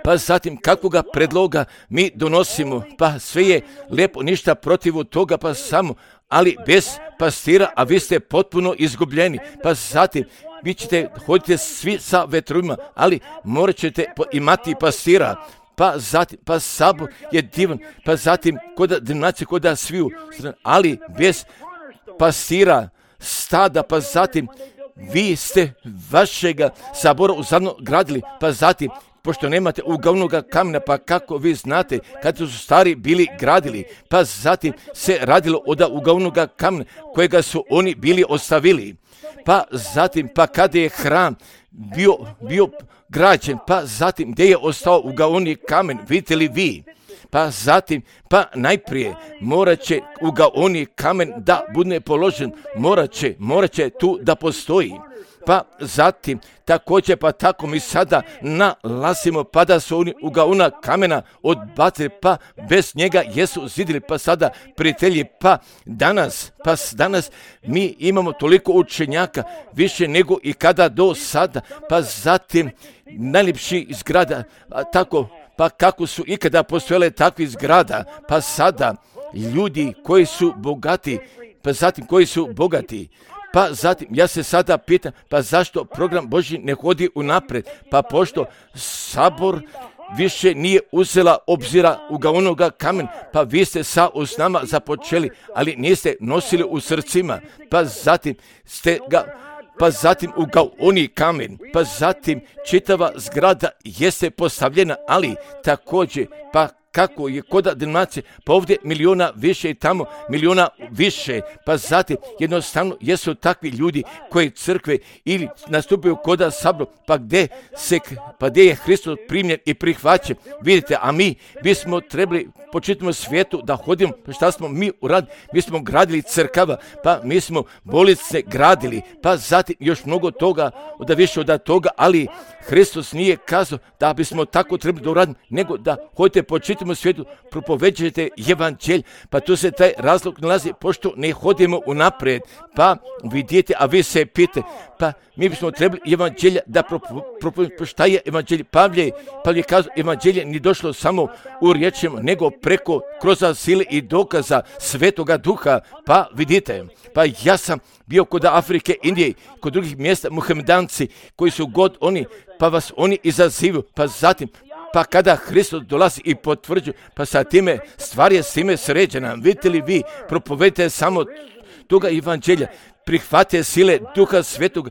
pa zatim kakvoga predloga mi donosimo, pa sve je lijepo, ništa protiv toga, pa samo, ali bez pastira, a vi ste potpuno izgubljeni. Pa zatim, vi ćete, hodite svi sa vetrovima, ali morat ćete imati pastira. Pa zatim, pa sabor je divan, pa zatim, koda denominacije, koda sviju, ali bez pastira, stada, pa zatim, vi ste vašega sabora uzadno gradili, pa zatim, pošto nemate uglavnoga kamena, pa kako vi znate kad su stari bili gradili, pa zatim se radilo od uglavnoga kamena kojega su oni bili ostavili, pa zatim, pa kada je hram bio, bio građen, pa zatim gdje je ostao ugaoni kamen, vidite li vi? Pa zatim, pa najprije morat će ugaoni kamen da bude položen, morat će, morat će tu da postoji. Pa zatim, također, pa tako mi sada nalazimo, pa da su oni ugaona kamena odbacili, pa bez njega jesu zidili, pa sada prijatelji, pa danas, pa danas mi imamo toliko učenjaka, više nego i kada do sada, pa zatim najljepši zgrada, tako, pa kako su ikada postojale takvi zgrada, pa sada ljudi koji su bogati, pa zatim koji su bogati, pa zatim ja se sada pitam, pa zašto program Božji ne hodi unaprijed, pa pošto sabor više nije uzela obzira ugaonoga kamen, pa vi ste sa usnama započeli, ali niste nosili u srcima, pa zatim ste ga, pa zatim ugaoni kamen, pa zatim čitava zgrada jeste postavljena, ali također, pa kako je koda denominacije, pa ovdje miliona više i tamo miliona više, pa zatim jednostavno jesu takvi ljudi koji crkve ili nastupaju koda sabor, pa gdje se, pa gdje je Hristos primljen i prihvaćen, vidite, a mi bismo trebali po čitavom svijetu da hodimo, pa šta smo mi uradili, mi smo gradili crkava, pa mi smo bolnice gradili, pa zatim još mnogo toga, da više od toga, ali Hristos nije kazao da bismo tako trebali da uradimo, nego da hodite po čitavom svijetu, propoveđujete evanđelj, pa tu se taj razlog nalazi, pošto ne hodimo unaprijed, pa vidite, a vi se pite, pa mi bismo trebali evanđelja da propoveđujemo, šta je evanđelje? Pavle, Pavle je kazao, evanđelje nije došlo samo u riječima, nego preko, kroz sile i dokaza Svetoga Duha, pa vidite, pa ja sam bio kod Afrike, Indije, kod drugih mjesta, muhamedanci, koji su god oni, pa vas oni izazivaju, pa zatim, pa kada Hristos dolazi i potvrđuje, pa sa time stvar je s time sređena, vidite li vi, propovedite samo toga evanđelja, prihvatite sile Duha Svetog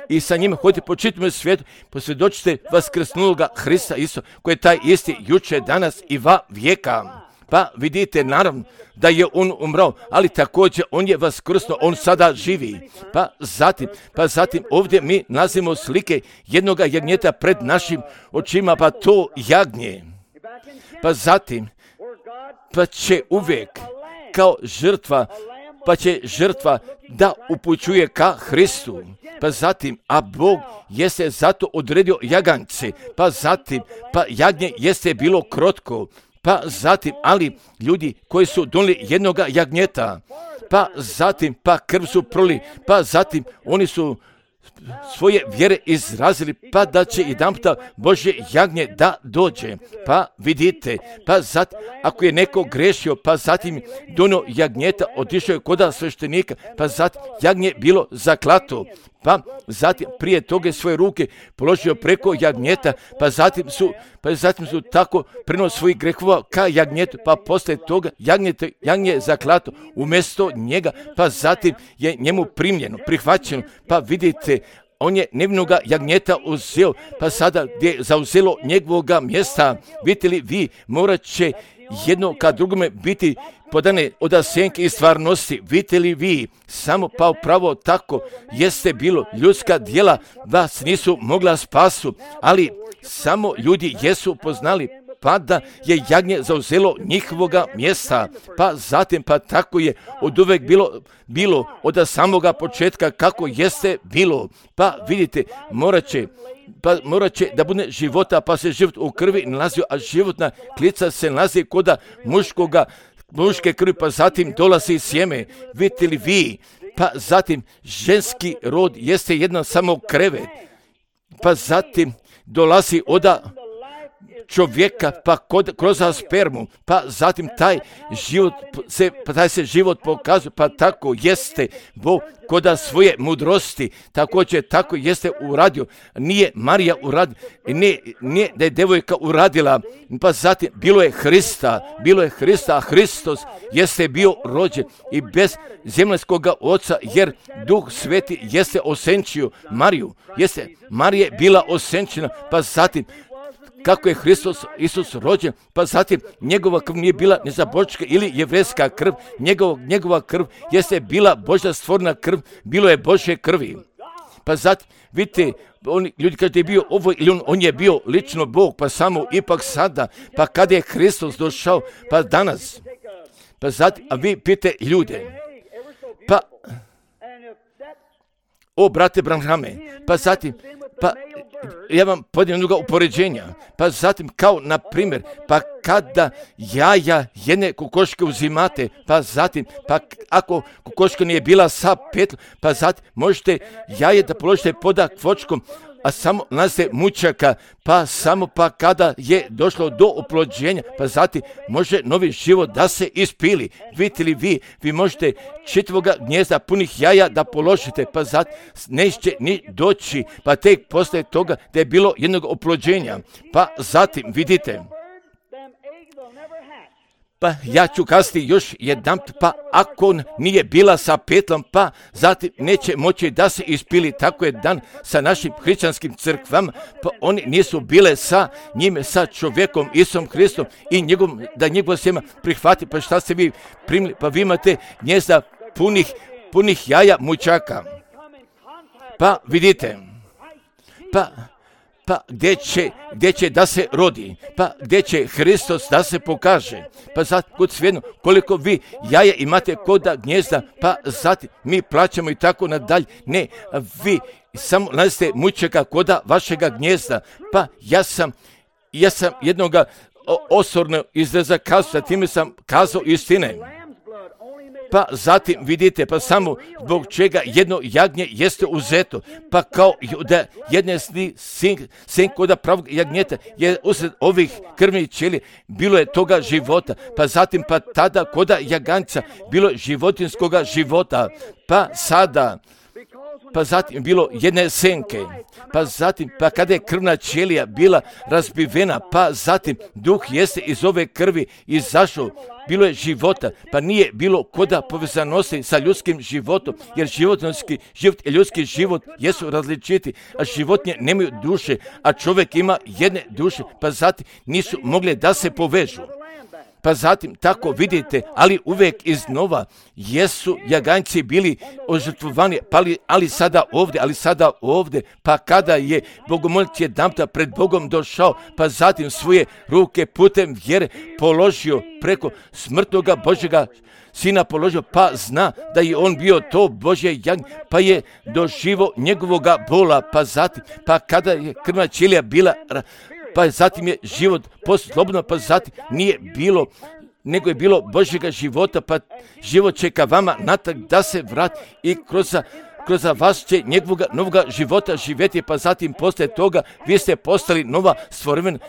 i sa njima hodite po čitavom svijetu, posvjedočite vaskrsnuloga Hrista isto, koji je taj isti juče, danas i va vijeka. Pa vidite, naravno, da je on umrao, ali također on je vaskrsnuo, on sada živi. Pa zatim, pa zatim ovdje mi nalazimo slike jednoga jagnjeta pred našim očima, pa to jagnje. Pa zatim, pa će uvijek kao žrtva, pa će žrtva da upućuje ka Hristu. Pa zatim, a Bog jeste zato odredio jagance, pa zatim, pa jagnje jeste bilo krotko, pa zatim, ali ljudi koji su donijeli jednoga jagnjeta, pa zatim, pa krv su proli, pa zatim oni su svoje vjere izrazili, pa da će jedanputa Božje jagnje da dođe. Pa vidite, pa zatim, ako je neko grešio, pa zatim donio jagnjeta, otišao je kod sveštenika, pa zatim jagnje bilo zaklato, pa zatim prije toga svoje ruke položio preko jagnjeta, pa zatim su, pa zatim su tako prenos svojih grehova ka jagnjetu, pa poslije toga jagnjete, jagnje je zaklato umjesto njega, pa zatim je njemu primljeno, prihvaćeno, pa vidite, on je nevinoga jagnjeta uzeo, pa sada gdje je zauzelo njegovoga mjesta, vidite li vi, morat će jedno ka drugome biti podane od sjenke i stvarnosti, vidite li vi, samo pa upravo tako jeste bilo, ljudska djela vas nisu mogla spasu, ali samo ljudi jesu poznali, pa da je jagnje zauzelo njihovoga mjesta, pa zatim pa tako je od uvek bilo, bilo od samoga početka kako jeste bilo, pa vidite, morat će, pa morat će da bude života, pa se život u krvi nalazio, a životna klica se nalazi koda muškoga, muške krvi, pa zatim dolazi sjeme, vidite li vi, pa zatim ženski rod jeste jedan samo krevet, pa zatim dolazi oda čovjeka, pa kod, kroz spermu, pa zatim taj život se, pa taj se život pokazuje, pa tako jeste Bog koda svoje mudrosti, također tako jeste uradio. Nije Marija uradila, nije, nije da je devojka uradila, pa zatim bilo je Hrista, bilo je Hrista, a Hristos jeste bio rođen i bez zemaljskoga oca, jer Duh Sveti jeste osenčio Mariju, jeste Marija bila osenčena, pa zatim kako je Hristos Isus rođen, pa zatim njegova krv nije bila nezabočka ili jevrejska krv, njegov, njegova krv jeste bila Božja stvorena krv, bilo je Božje krvi. Pa zatim, vidite, oni, ljudi kažu da je bio ovo ili on, on je bio lično Bog, pa samo ipak sada, pa kada je Hristos došao, pa danas, pa zatim, a vi pite ljude, pa, o brate Branhame, pa zatim, pa ja vam podijem druga upoređenja, pa zatim kao na primjer, pa kada jaja jedne kokoške uzimate, pa zatim, pa ako kokoška nije bila sa petlom, pa zatim možete jaje da položite pod kvočkom, a samo nalaze mučaka, pa samo pa kada je došlo do oplođenja, pa zatim može novi život da se ispili. Vidite li vi, vi možete čitavoga gnjezda punih jaja da položite, pa zatim neće ni doći, pa tek posle toga da je bilo jednog oplođenja, pa zatim vidite. Pa ja ću kazati još jedan, pa ako nije bila sa petlom, pa zatim neće moći da se ispili. Tako je dan sa našim hrišćanskim crkvama, pa oni nisu bile sa njime, sa čovjekom Isusom Hristom i njegov, da njegov sjema prihvati. Pa šta ste vi primili? Pa vi imate gnjezda punih, punih jaja mučaka. Pa vidite, pa pa gdje će, gdje će da se rodi, pa gdje će Hristos da se pokaže, pa sad kod svejedno koliko vi jaja imate koda gnjezda, pa zatim mi plaćamo i tako nadalje, ne, vi samo nalazite mučaka koda vašega gnjezda, pa ja sam, ja sam jednoga osorno izraza kazao, time sam kazao istine. Pa zatim vidite, pa samo zbog čega jedno jagnje jeste uzeto, pa kao da jedne sin, sin koda pravog jagnjeta je usred ovih krvnih ćelija, bilo je toga života, pa zatim pa tada koda jaganca bilo životinskoga života, pa sada, pa zatim bilo jedne senke, pa zatim, pa kada je krvna ćelija bila razbivena, pa zatim duh jeste iz ove krvi izašao, bilo je života, pa nije bilo koda povezanosti sa ljudskim životom, jer životinski život i ljudski život jesu različiti, a životinje nemaju duše, a čovjek ima jedne duše, pa zatim nisu mogli da se povežu. Pa zatim tako vidite, ali uvijek iznova jesu jaganjci bili ožrtvovani, pa ali, ali sada ovdje, ali sada ovdje, pa kada je bogomolec jedanputa pred Bogom došao, pa zatim svoje ruke putem vjere položio preko smrtnoga Božjega Sina položio, pa zna da je on bio to Božje jagnje, pa je doživo njegovoga bola, pa zatim, pa kada je krvna ćelija bila, pa zatim je život poslobodno, pa zatim nije bilo, nego je bilo Božjega života, pa život čeka vama natak da se vrati i kroz, kroz vas će njegovoga novoga života živjeti, pa zatim poslije toga vi ste postali nova stvorevina,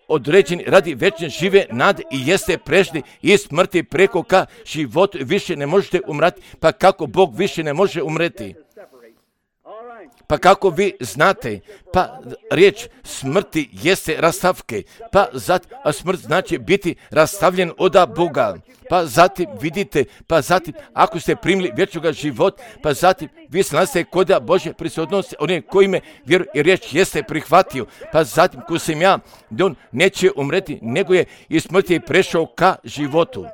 određeni radi večne žive nade i jeste prešli iz smrti preko ka životu, više ne možete umrati, pa kako Bog više ne može umreti. Pa kako vi znate, pa riječ smrti jeste rastavke, pa zatim, a smrt znači biti rastavljen od Boga. Pa zatim vidite, pa zatim ako ste primili vječnoga života, pa zatim vi se nalazite kod Božje prisutnosti, onim koji me vjeruje i riječ jeste prihvatio, pa zatim ko sam ja, da on neće umreti, nego je iz smrti prešao ka životu.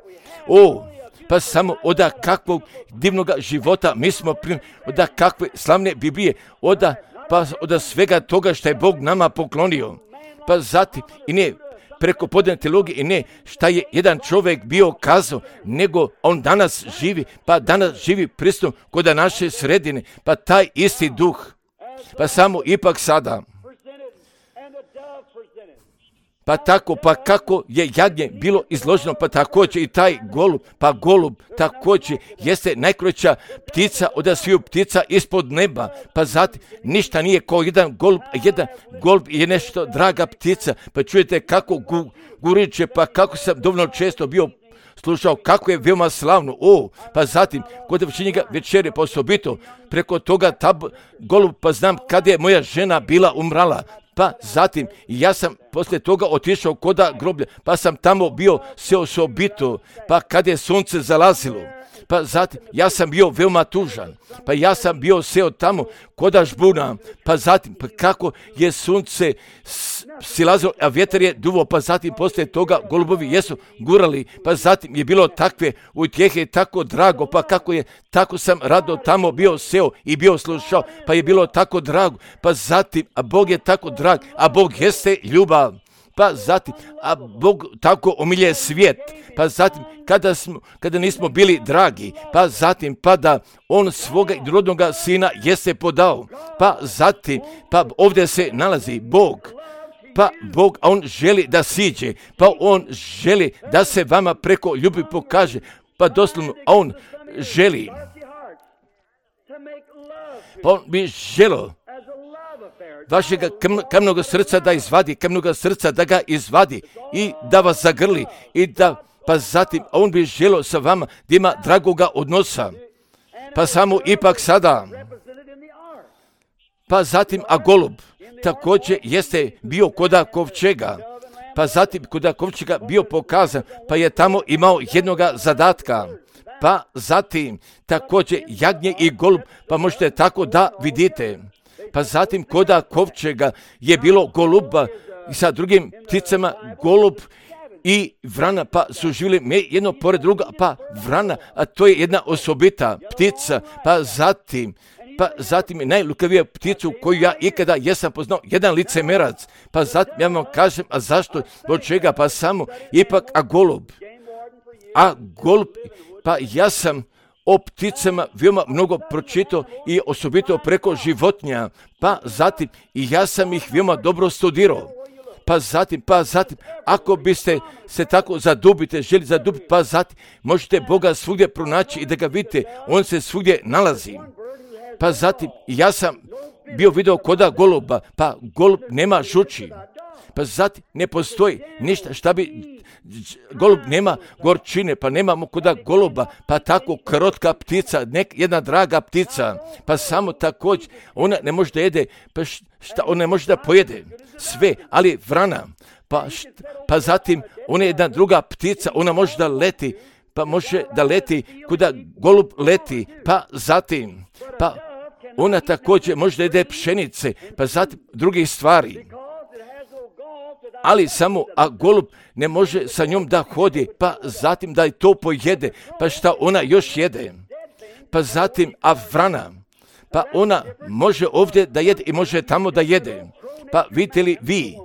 O, pa samo oda kakvog divnog života mi smo primili, oda kakve slavne Biblije, oda, pa oda svega toga što je Bog nama poklonio. Pa zatim i ne preko podane teologije i ne šta je jedan čovjek bio kazao, nego on danas živi, pa danas živi prisutno kod naše sredine, pa taj isti duh, pa samo ipak sada. Pa tako, pa kako je jagnje bilo izloženo, pa također i taj golub, pa golub također jeste najkraća ptica od sviju ptica ispod neba. Pa zatim ništa nije kao jedan golub, jedan golub je nešto draga ptica. Pa čujete kako gu, guriče, pa kako sam dovoljno često bio slušao kako je veoma slavno. O, pa zatim kod večernjega večere, pa osobito preko toga tab, golub, pa znam kada je moja žena bila umrala. Pa zatim ja sam poslije toga otišao koda groblja, pa sam tamo bio sve osobito, pa kad je sunce zalazilo. Pa zatim ja sam bio veoma tužan, pa ja sam bio seo tamo koda žbuna, pa zatim pa kako je sunce silazilo, a vjetar je duvo, pa zatim poslije toga golubovi jesu gurali, pa zatim je bilo takve utjehe, tako drago, pa kako je, tako sam rado tamo bio seo i bio slušao, pa je bilo tako drago, pa zatim, a Bog je tako drag, a Bog jeste ljubav. Pa zatim, a Bog tako omilje svijet, pa zatim, kada, smo, kada nismo bili dragi, pa zatim, pa da on svoga rodnoga sina jeste podao, pa zatim, pa ovdje se nalazi Bog, pa Bog, a on želi da siđe, pa on želi da se vama preko ljubavi pokaže, pa doslovno, a on želi, pa on bi želio vašega kamnog srca da izvadi, kamnog srca da ga izvadi i da vas zagrli i da, pa zatim on bi želio sa vama da ima dragoga odnosa, pa samo ipak sada, pa zatim, a golub također jeste bio koda kovčega, pa zatim koda kovčega bio pokazan, pa je tamo imao jednoga zadatka, pa zatim također jagnje i golub, pa možete tako da vidite. Pa zatim koda kovčega je bilo goluba i sa drugim pticama golub i vrana, pa su živjeli jedno pored druga, pa vrana, a to je jedna osobita ptica, pa zatim, pa zatim je najlukavija pticu koju ja ikada jesam poznao, jedan licemerac, pa zatim ja vam kažem, a zašto, od čega, pa samo, ipak, a golub, a golub, pa ja sam o pticama veoma mnogo pročitao i osobito preko životinja, pa zatim i ja sam ih veoma dobro studirao. Pa zatim, pa zatim, ako biste se tako zadubite, želi zadubiti, pa zatim možete Boga svugdje pronaći i da ga vidite, on se svugdje nalazi. Pa zatim, ja sam bio video koda goluba, pa golub nema žuči. Pa zatim ne postoji ništa šta bi, golub nema gorčine, pa nemamo koda goluba, pa tako krotka ptica, nek, jedna draga ptica, pa samo također, ona ne može da jede, pa šta, ona ne može da pojede sve, ali vrana, pa, šta, pa zatim ona je jedna druga ptica, ona može da leti, pa može da leti kuda golub leti, pa zatim, pa ona također može da jede pšenice, pa zatim drugih stvari. Ali samo, a golub ne može sa njom da hodi, pa zatim da i to pojede, pa šta ona još jede. Pa zatim, a vrana, pa ona može ovdje da jede i može tamo da jede. Pa vidite li vi?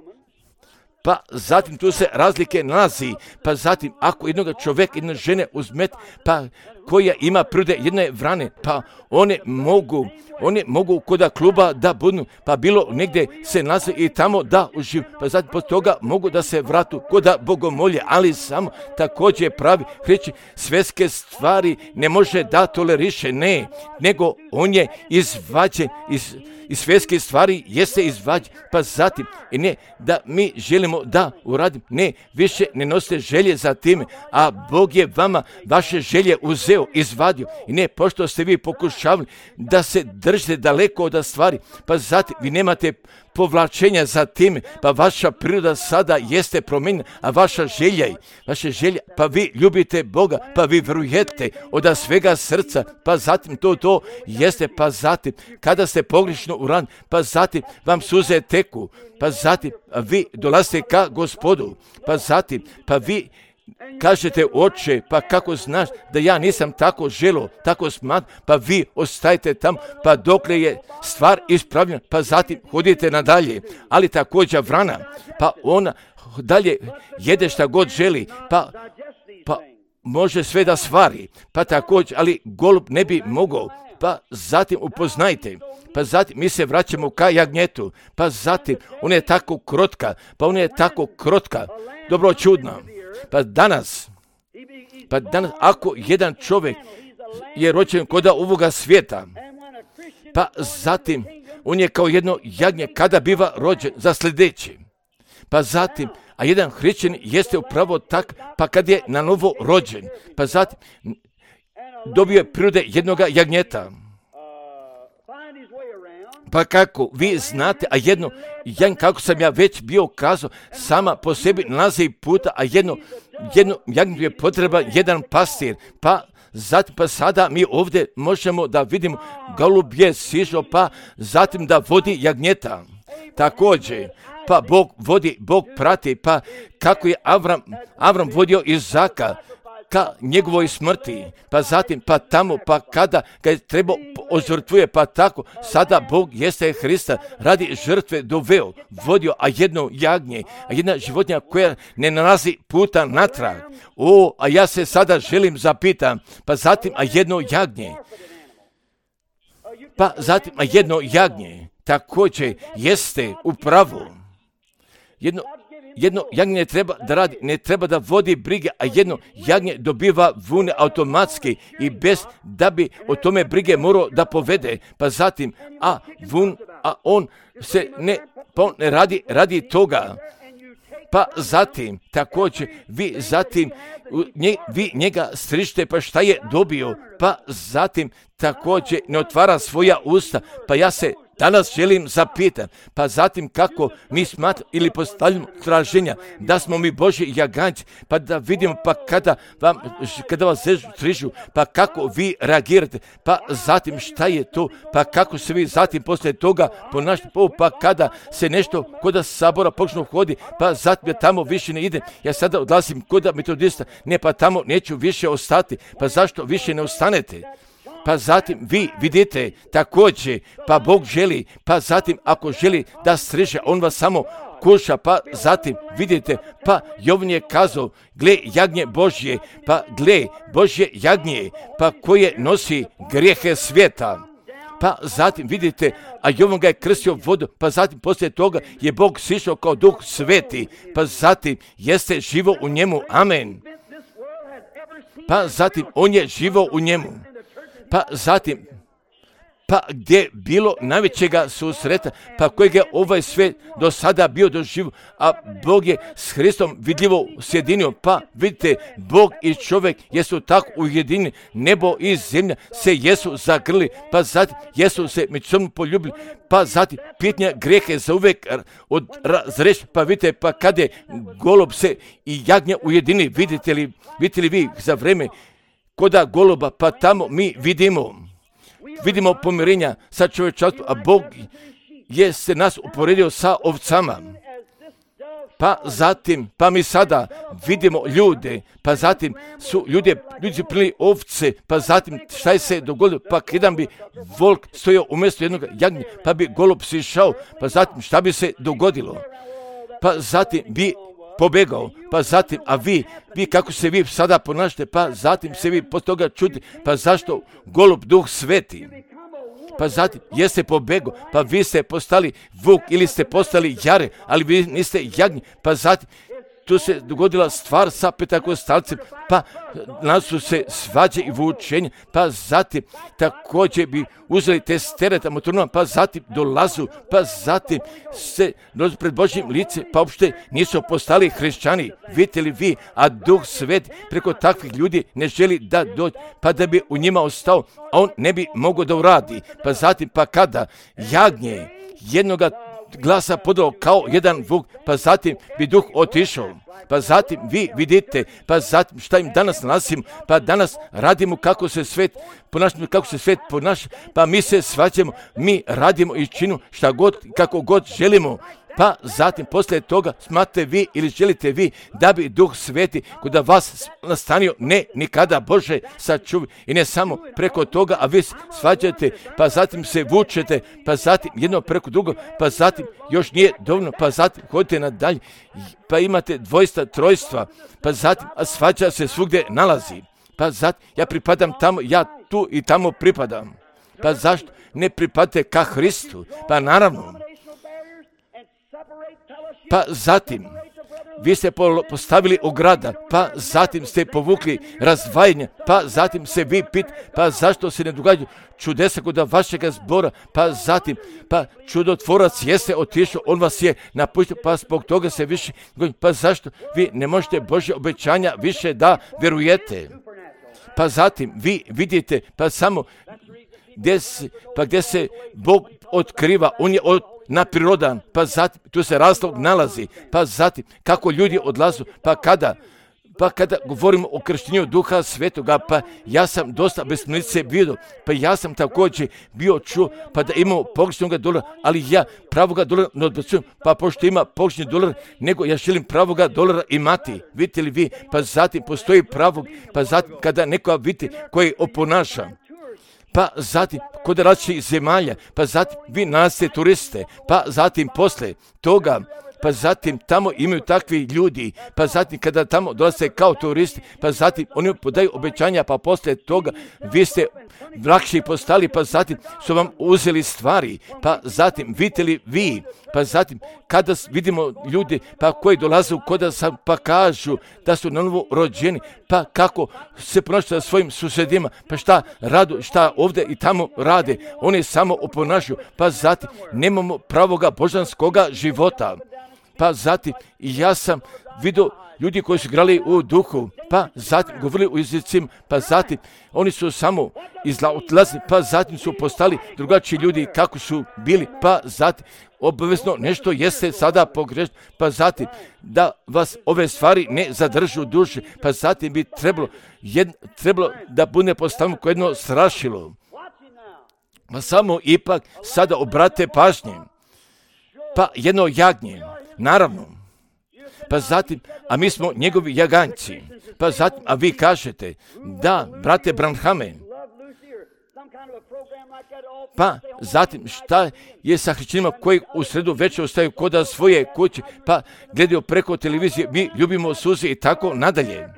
Pa zatim tu se razlike nalazi, pa zatim ako jednog čovjeka, jedne žene uzmet, pa koja ima prirode jedne vrane, pa one mogu, one mogu koda kluba da budu, pa bilo negdje se nalaze i tamo da uživ, pa zatim pod toga mogu da se vratu koda bogomolje, ali samo također pravi reći svjetske stvari ne može da toleriše, ne, nego on je izvađen iz i svjetske stvari jeste izvađen, pa zatim, i ne da mi želimo da uradim, ne, više ne nosite želje za time, a Bog je vama vaše želje uzeo, izvadio, i ne, pošto ste vi pokušavali da se držite daleko od stvari, pa zatim vi nemate povlačenja za time, pa vaša priroda sada jeste promijenjena, a vaša želja, vaše želja, pa vi ljubite Boga, pa vi vjerujete od svega srca, pa zatim to, to jeste, pa zatim, kada ste pogrešno uradili, pa zatim vam suze teku, pa zatim vi dolazite ka Gospodu, pa zatim, pa vi kažete oče, pa kako znaš da ja nisam tako želo, tako smatram, pa vi ostajete tamo, pa dokle je stvar ispravljena, pa zatim hodite nadalje. Ali također vrana, pa ona dalje jede šta god želi, pa, pa može sve da stvari, pa također, ali golub ne bi mogao, pa zatim upoznajte, pa zatim mi se vraćamo ka jagnjetu, pa zatim ona je tako krotka, pa ona je tako krotka, dobro čudna, pa danas, pa danas ako jedan čovjek je rođen kod ovoga svijeta, pa zatim on je kao jedno jagnje kada biva rođen za sljedeći, pa zatim, a jedan hrišćanin jeste upravo tak, pa kad je na novo rođen, pa zatim dobio je prirode jednoga jagnjeta. Pa kako vi znate, a jedno, jedan, kako sam ja već bio kazao, sama po sebi nalazi puta, a jedno, jedno jagnjetu je potreban jedan pastir, pa zatim, pa sada mi ovdje možemo da vidimo golub je sišao, pa zatim da vodi jagnjeta. Također, pa Bog vodi, Bog prati, pa kako je Avram, Avram vodio Izaka ka njegovoj smrti, pa zatim, pa tamo, pa kada ga je trebao ožrtvuje, pa tako, sada Bog jeste Hrista radi žrtve doveo, vodio, a jedno jagnje, a jedna životinja koja ne nalazi puta natrag. O, a ja se sada želim zapitam, pa zatim, a jedno jagnje, pa zatim, a jedno jagnje, također jeste u pravu. Jedno, jedno jagnje ne treba da radi, ne treba da vodi brige, a jedno jagnje dobiva vune automatski i bez da bi o tome brige morao da povede. Pa zatim, a vun, a on se ne, pa on ne radi, radi toga. Pa zatim, također, vi zatim, nje, vi njega strižite, pa šta je dobio? Pa zatim, također, ne otvara svoja usta, pa ja se danas želim zapitati, pa zatim kako mi smatramo ili postavljamo traženja da smo mi Božji jaganjci, pa da vidimo pa kada, vam, kada vas strižu, pa kako vi reagirate, pa zatim šta je to, pa kako se vi zatim poslije toga ponašate, pa kada se nešto kod sabora počnu hodi, pa zatim ja tamo više ne idem, ja sada odlazim kod metodista, ne pa tamo neću više ostati, pa zašto više ne ostanete? Pa zatim vi vidite također, pa Bog želi, pa zatim ako želi da striže, on vas samo kuša, pa zatim vidite, pa Jovan je kazao, gle jagnje Božje, pa gle Božje jagnje, pa koje nosi grijehe svijeta. Pa zatim vidite, a Jovan ga je krstio vodu, pa zatim poslije toga je Bog sišao kao Duh Sveti, pa zatim jeste živo u njemu, amen. Pa zatim on je živo u njemu. Pa zatim, pa gdje bilo najvećega susreta, pa kojeg je ovaj svijet do sada bio doživio, a Bog je s Hristom vidljivo sjedinio, pa vidite, Bog i čovjek jesu tako ujedinjeni, nebo i zemlja se jesu zagrli, pa zatim jesu se međusobno poljubili, pa zatim pitanja grijehe za uvijek razreši, pa vidite, pa kad je golob se i jagnja ujedini, vidite li, vidite li vi za vreme koda goluba, pa tamo mi vidimo, vidimo pomirenja sa čovječanstvom, a Bog je se nas uporedio sa ovcama. Pa zatim, pa mi sada vidimo ljude, pa zatim su ljude, ljudi su prili ovce, pa zatim šta je se dogodilo, pa jedan bi volk stojao umjesto jednog jagnja, pa bi golub sišao, pa zatim šta bi se dogodilo, pa zatim bi pobegao, pa zatim, a vi, vi kako se vi sada ponašate, pa zatim se vi po toga čudite, pa zašto golub Duh Sveti, pa zatim jeste pobegao, pa vi ste postali vuk ili ste postali jare, ali vi niste jagnji, pa zatim tu se dogodila stvar sa Pentakostalcem, pa nas su se svađe i vučenje, pa zatim također bi uzeli te stereta motornoma, pa zatim dolazu, pa zatim se dođu pred Božjim lice, pa uopšte nisu postali hrišćani, vidite li vi, a Duh Svet preko takvih ljudi ne želi da dođe, pa da bi u njima ostao, a on ne bi mogao da uradi, pa zatim pa kada jagnje jednoga glasa podao kao jedan vuk, pa zatim bi duh otišao, pa zatim vi vidite, pa zatim šta im danas nalazimo, pa danas radimo kako se svet ponašamo, kako se svet ponaša, pa mi se svađamo, mi radimo i činimo šta god, kako god želimo, pa zatim poslije toga smatrate vi ili želite vi da bi Duh Sveti kod vas nastanio, ne nikada, Bože sačuvi, i ne samo preko toga, a vi svađate, pa zatim se vučete, pa zatim jedno preko drugo, pa zatim još nije dovoljno, pa zatim hodite nadalje, pa imate dvojstva, trojstva, pa zatim a svađa se svugdje nalazi, pa zatim ja pripadam tamo, ja tu i tamo pripadam. Pa zašto ne pripadate ka Hristu? Pa naravno. Pa zatim, vi ste postavili ograda, pa zatim ste povukli razdvajanje, pa zatim se vi pit, pa zašto se ne događaju čudesa kod vašega zbora, pa zatim, pa čudotvorac jeste otišao, on vas je napustio, pa zbog toga se više, pa zašto vi ne možete Božje obećanja više da vjerujete? Pa zatim, vi vidite, pa samo gdje se, pa gdje se Bog otkriva, on je od naprirodan, pa zatim, tu se razlog nalazi, pa zatim, kako ljudi odlazu, pa kada, pa kada govorimo o krštenju Duha Svetoga, pa ja sam dosta besmislice vidio, pa ja sam također bio čuo, pa da imamo pogrešnog dolara, ali ja pravoga dolara ne odbacujem, pa pošto ima pogrešni dolar, nego ja želim pravoga dolara imati, vidite li vi, pa zatim postoji pravog, pa zatim kada nekoga vidite koji oponaša, pa zatim kod različitih zemalja, pa zatim vi nalazite turiste, pa zatim posle toga, pa zatim tamo imaju takvi ljudi, pa zatim kada tamo dolaze kao turisti, pa zatim oni podaju obećanja, pa posle toga vi ste lakši postali, pa zatim su vam uzeli stvari, pa zatim vidite li vi, pa zatim kada vidimo ljudi pa koji dolaze u koda sam, pa kažu da su na novo rođeni, pa kako se ponašaju sa svojim susjedima, pa šta radu, šta ovdje i tamo rade, oni samo oponašaju, pa zatim nemamo pravoga božanskoga života. Pa zatim ja sam vidio ljudi koji su igrali u duhu, pa zatim govorili u jezicima, pa zatim oni su samo izlazili, pa zatim su postali drugačiji ljudi kako su bili, pa zatim obavezno nešto jeste sada pogrešno, pa zatim da vas ove stvari ne zadržu u duši, pa zatim bi trebalo, jedno, trebalo da bude postavljeno kao jedno strašilo. Pa samo ipak sada obrate pažnje, pa jedno jagnje, naravno, pa zatim, a mi smo njegovi jaganjci, pa zatim, a vi kažete, da, brate Branhame, pa zatim šta je sa hrišćanima koji u sredu večer ostaju koda svoje kuće, pa gledaju preko televizije, mi ljubimo suze i tako nadalje.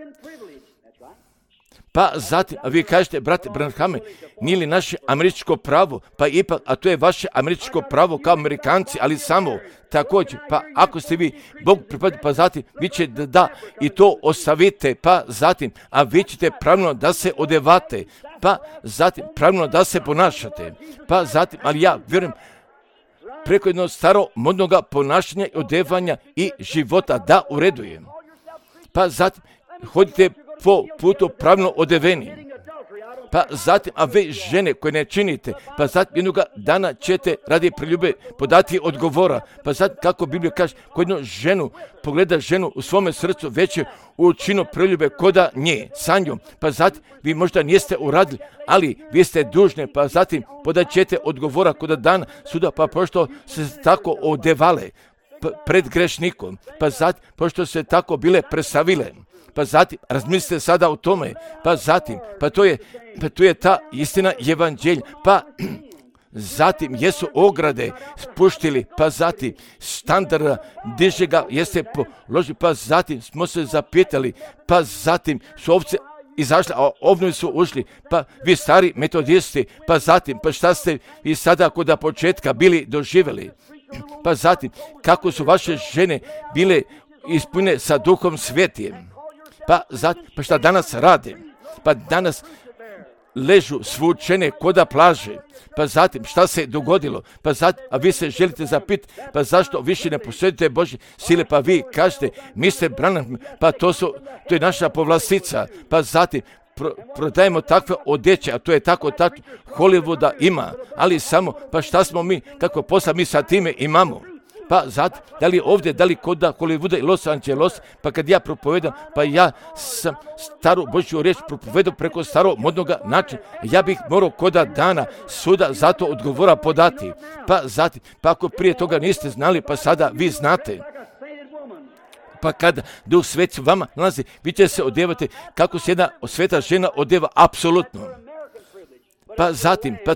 Pa zatim, a vi kažete, brate Branhame, nije li naše američko pravo, pa ipak, a to je vaše američko pravo kao Amerikanci, ali samo također, pa ako ste vi Bog pripadni, pa zatim vi ćete da, da i to ostavite, pa zatim, a vi ćete pravilno da se odevate, pa zatim pravilno da se ponašate, pa zatim, ali ja vjerujem, preko jednog staro modnog ponašanja i odevanja i života da uredujem. Pa zatim, hodite po putu pravilno odeveni. Pa zatim, a vi žene koje ne činite, pa zatim jednog dana ćete radi preljube podati odgovora. Pa zatim, kako Biblija kaže, ko jednu ženu pogleda ženu u svome srcu već je učinio preljube koda nje, sa njom. Pa zatim, vi možda niste uradili, ali vi ste dužni, pa zatim podat ćete odgovora koda dana suda, pa pošto se tako odevale pred grešnikom, pa zatim, pošto se tako bile presavile. Pa zatim, razmislite sada o tome, pa zatim, pa to je, pa to je ta istina evanđelja, pa zatim jesu ograde spuštili, pa zatim standarda diže ga jeste položili, pa zatim smo se zapitali, pa zatim su ovce izašli, a ovnovi su ušli, pa vi stari metodisti, pa zatim, pa šta ste i sada kod početka bili doživjeli, pa zatim, kako su vaše žene bile ispunjene sa Duhom Svetijem. Pa, zatim, pa šta danas rade? Pa danas ležu svučene koda plaže. Pa zatim, šta se dogodilo? Pa zatim, a vi se želite zapiti, pa zašto više ne posjedite Božje sile? Pa vi kažete, mister Branham, pa to, su, to je naša povlastica. Pa zatim, pro, prodajemo takve odjeće, a to je tako, tako, Hollywooda ima, ali samo, pa šta smo mi, kako posla mi sa time imamo? Pa zatim, da li ovdje, da li kod Hollywooda i Los Angeles, pa kad ja propovedam, pa ja sam staru Božju riječ propovedao preko starog modnog načina, ja bih morao koda dana suda zato odgovora podati. Pa zatim, pa ako prije toga niste znali, pa sada vi znate. Pa kada Duh Sveti vama nalazi, vi ćete se odjevati kako se jedna sveta žena odjeva apsolutno. Pa zatim, pa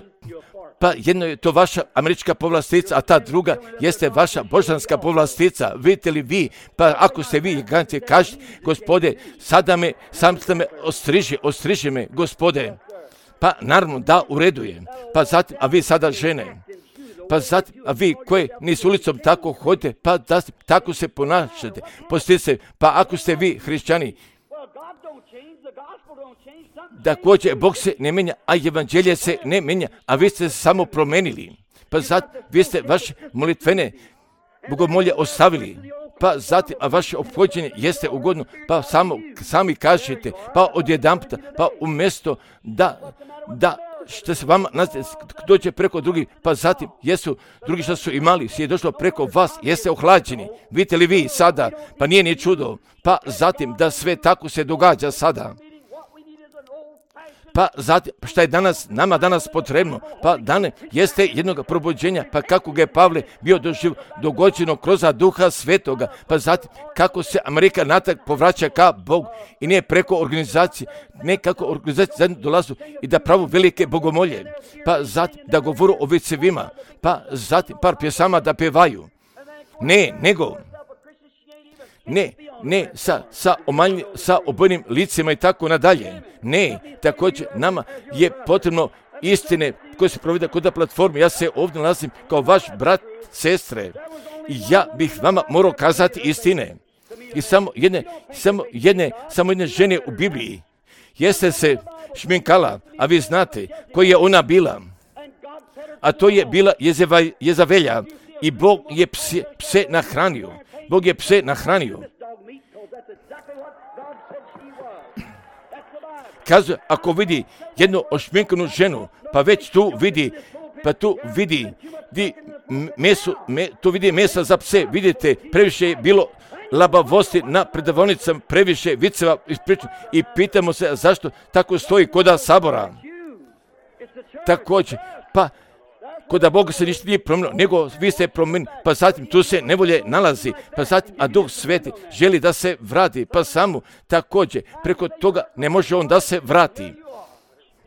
Pa jedno je to vaša američka povlastica, a ta druga jeste vaša božanska povlastica. Vidite li vi, pa ako ste vi giganti, kažete, Gospode, sada me, sam ste me ostriži, ostriži me, Gospode. Pa naravno da u redu je. Pa zatim, a vi sada žene, pa zatim, a vi koje nisu ulicom tako hodite, pa da, tako se ponašate, postite se, pa ako ste vi hrišćani, da kođe, Bog se ne menja, a evanđelje se ne menja, a vi ste se samo promenili. Pa zatim, vi ste vaše molitvene bogomolje ostavili, pa zatim, a vaše ophođenje jeste ugodno, pa samo, sami kažete, pa odjedanputa, pa umjesto da, da, što se vama dođe preko drugih, pa zatim jesu drugi što su imali, je došlo preko vas, jeste ohlađeni. Vidite li vi sada, pa nije ni čudo, pa zatim da sve tako se događa sada. Pa zatim, šta je danas, nama danas potrebno, pa dane jeste jednog probuđenja, pa kako ga je Pavle bio doživ, dogođeno kroz duha svetoga, pa zatim kako se Amerika natrag povraća ka Bogu i nije preko organizacije, ne kako organizacije zajedno dolazu i da pravu velike bogomolje, pa zatim da govoru o vicevima, pa zatim par pjesama da pevaju, ne, nego, ne, ne, sa, sa, omanj, sa obojnim licima i tako nadalje. Ne, također nama je potrebno istine koje se provede kod platforme. Ja se ovdje nalazim kao vaš brat, sestre. I ja bih vama morao kazati istine. I samo jedne, samo jedne, samo jedne žene u Bibliji jeste se šminkala, a vi znate koja je ona bila. A to je bila Jezeva, Jezavelja i Bog je pse, pse nahranio. Bog je pse nahranio. Kaže, ako vidi jednu ošminkanu ženu, pa već tu vidi, pa tu vidi, di meso, me, tu vidi mesa za pse, vidite, previše je bilo labavosti na predavnicama, previše viceva ispričano i pitamo se zašto tako stoji koda sabora. Također, pa koda Boga se ništa nije promijenilo, nego vi ste promijenili, pa zatim tu se nevolje nalazi, pa zatim, a Duh Sveti želi da se vrati, pa samo također, preko toga ne može on da se vrati.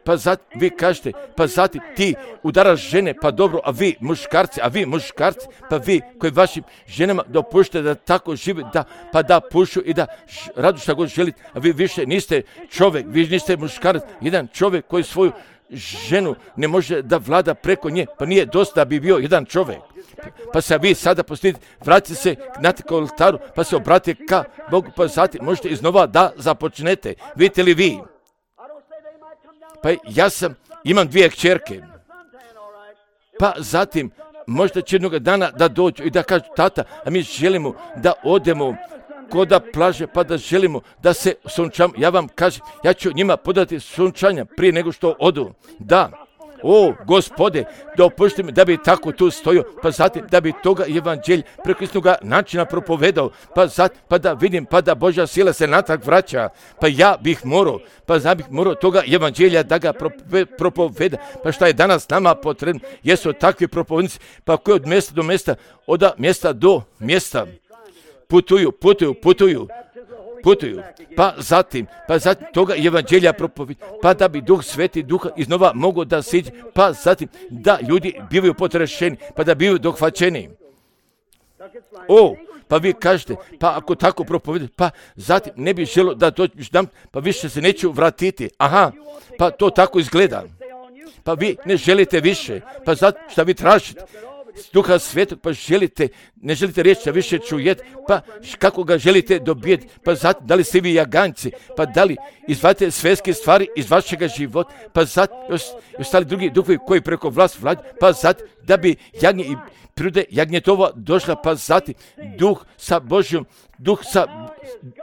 Pa zatim, vi kažete, pa zatim ti udaraš žene, pa dobro, a vi muškarci, a vi muškarci, pa vi koji vašim ženama dopuštate da tako žive, da, pa da pušu i da ž, radu šta god želite, a vi više niste čovjek, vi niste muškarac, jedan čovjek koji svoju ženu ne može da vlada preko nje, pa nije dosta da bi bio jedan čovjek. Pa se vi sada postite, vratite se na oltaru, pa se obratite ka Bogu, pa zatim možete iznova da započnete. Vidite li vi? Pa ja sam, imam dvije kćerke, pa zatim možda će jednog dana da dođu i da kažu, tata, a mi želimo da odemo koda plaže, pa da želimo da se sunčamo. Ja vam kažem, ja ću njima podati sunčanja prije nego što odu. Da, o Gospode, dopušti mi da bi tako tu stojio, pa zatim da bi toga evanđelja preko istog načina propovedao, pa zatim pa da vidim, pa da Božja sila se natrag vraća, pa ja bih morao, pa ja bih morao toga evanđelja da ga propoveda, pa šta je danas nama potrebno, jesu takvi propovednici, pa koji od mjesta do mjesta, od mjesta do mjesta, putuju, putuju, putuju, putuju, pa zatim, pa zatim toga evanđelja propovedi, pa da bi Duh Sveti Duha iznova mogao da siđe, pa zatim da ljudi bivaju potrešeni, pa da bivaju dohvaćeni. O, pa vi kažete, pa ako tako propovedi, pa zatim ne bi želo da dođem, pa više se neću vratiti. Aha, pa to tako izgleda. Pa vi ne želite više, pa zatim šta vi tražite? Duha Svetog, pa želite, ne želite reći da više čujete, pa kako ga želite dobijeti, pa zatim da li ste vi jaganjci, pa da li izvadite svetske stvari iz vašega života, pa zatim još ostali drugi duhovi koji preko vlast vlađu, pa zatim da bi jagnje i prirode jagnjetova došla, pa zatim duh sa Božjom, duh sa,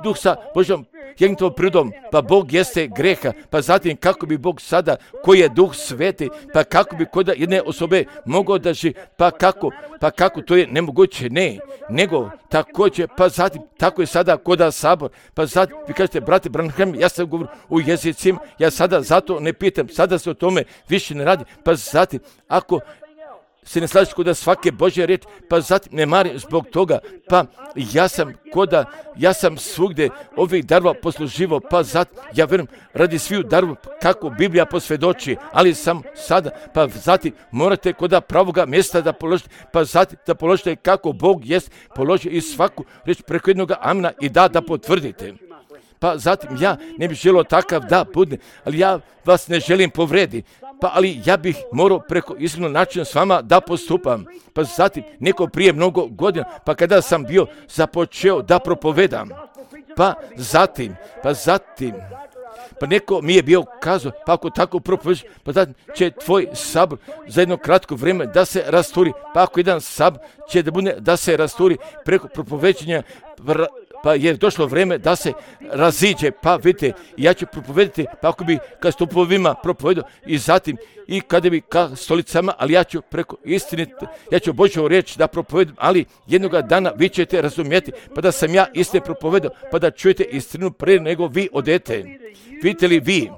duh sa Božjom jagnjetovom prirodom, pa Bog jeste greha, pa zatim kako bi Bog sada, koji je Duh Sveti, pa kako bi kod jedne osobe mogao da živi, pa kako, pa kako to je nemoguće, ne, nego također, pa zatim, tako je sada koda sabor, pa zatim, vi kažete, brate Branham, ja sam govorio u jezicima, ja sada zato ne pitam, sada se o tome više ne radi, pa zatim, ako se ne slažeš koda svake Božje riječi, pa zatim ne marim zbog toga, pa ja sam koda, ja sam svugdje ovih darova posluživo, pa zatim, ja vjerujem, radi sviju darova kako Biblija posvjedoči, ali sam sada, pa zatim morate koda pravoga mjesta da položite, pa zatim da položite kako Bog jest položio i svaku riječ preko jednog amena i da, da potvrdite. Pa zatim ja ne bih želio takav da bude, ali ja vas ne želim povrediti. Pa ali ja bih morao preko iskrenog načina s vama da postupam. Pa zatim neko prije mnogo godina, pa kada sam bio započeo da propovedam, pa zatim, pa zatim, pa neko mi je bio kazao, pa ako tako propovedaš, pa da će tvoj sabor za jedno kratko vrijeme da se rasturi, pa ako jedan sabor će da bude da se rasturi preko propoveđenja, pa je došlo vrijeme da se raziđe, pa vidite, ja ću propovedati, pa ako bi ka stupovima propovedao i zatim i kada bi ka stolicama, ali ja ću preko istine, ja ću Božju riječ da propovedam, ali jednoga dana vi ćete razumjeti, pa da sam ja istine propovedao, pa da čujete istinu prije nego vi odete. Vidite li vi?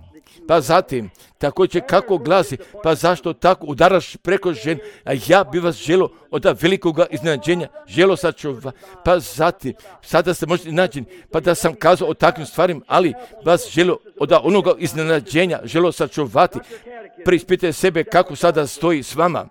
Pa zatim, također kako glasi, pa zašto tako udaraš preko žen, a ja bi vas želio od velikoga iznenađenja, želio sačuva, pa zatim, sada ste možete naći, pa da sam kazao o takvim stvarima, ali vas želio od onoga iznenađenja, želio sačuvati, preispitajte sebe kako sada stoji s vama.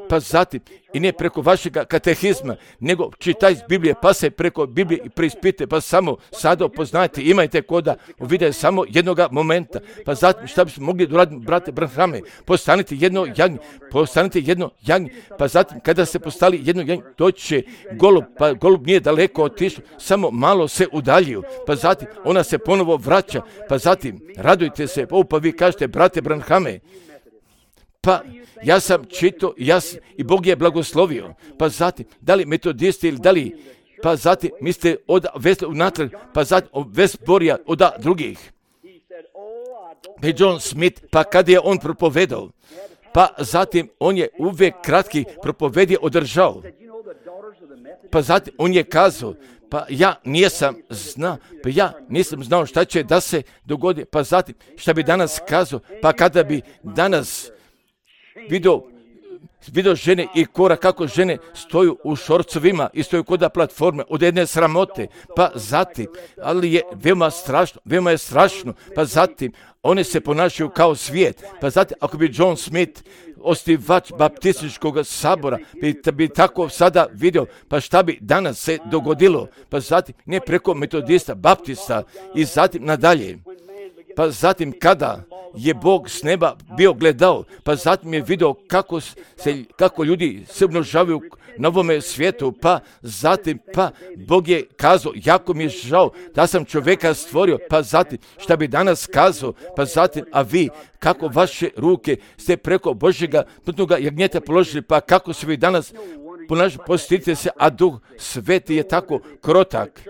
Pa zatim, i ne preko vašega katehizma, nego čitaj iz Biblije, pa se preko Biblije i preispite, pa samo sada upoznajte, imajte koda uvide samo jednoga momenta. Pa zatim, šta bismo mogli doraditi, brate Branhame, postanite jedno jagnje, postanite jedno jagnje, pa zatim, kada se postali jedno jagnje, doći će golub, pa golub nije daleko otišao, samo malo se udaljio, pa zatim, ona se ponovo vraća, pa zatim, radujte se, o, pa vi kažete, brate Branhame, pa ja sam čitao ja sam, i Bog je blagoslovio, pa zatim, da li metodisti ili da li, pa zatim, mislite od vesle unatrag, pa zatim od vesborija od drugih. Pa John Smith, pa kad je on propovedao, pa zatim on je uvijek kratki propovedje održao. Pa zatim on je kazao, pa ja nisam znao, pa ja nisam znao šta će da se dogodi, pa zatim šta bi danas kazao, pa kada bi danas vidio, vidio žene i kora kako žene stoju u šorcovima i stoju kod platforme od jedne sramote, pa zatim, ali je veoma strašno, veoma je strašno, pa zatim one se ponašaju kao svijet, pa zatim ako bi John Smith, osnivač baptističkog sabora, bi, bi tako sada vidio, pa šta bi danas se dogodilo, pa zatim ne preko metodista, baptista i zatim nadalje. Pa zatim kada je Bog s neba bio gledao, pa zatim je vidio kako, se, kako ljudi se umnožavaju na ovome svijetu, pa zatim, pa Bog je kazao, jako mi je žao da sam čovjeka stvorio, pa zatim, šta bi danas kazao, pa zatim, a vi, kako vaše ruke ste preko Božjega putnoga jagnjeta položili, pa kako se vi danas ponašali, postite se, a Duh Sveti je tako krotak.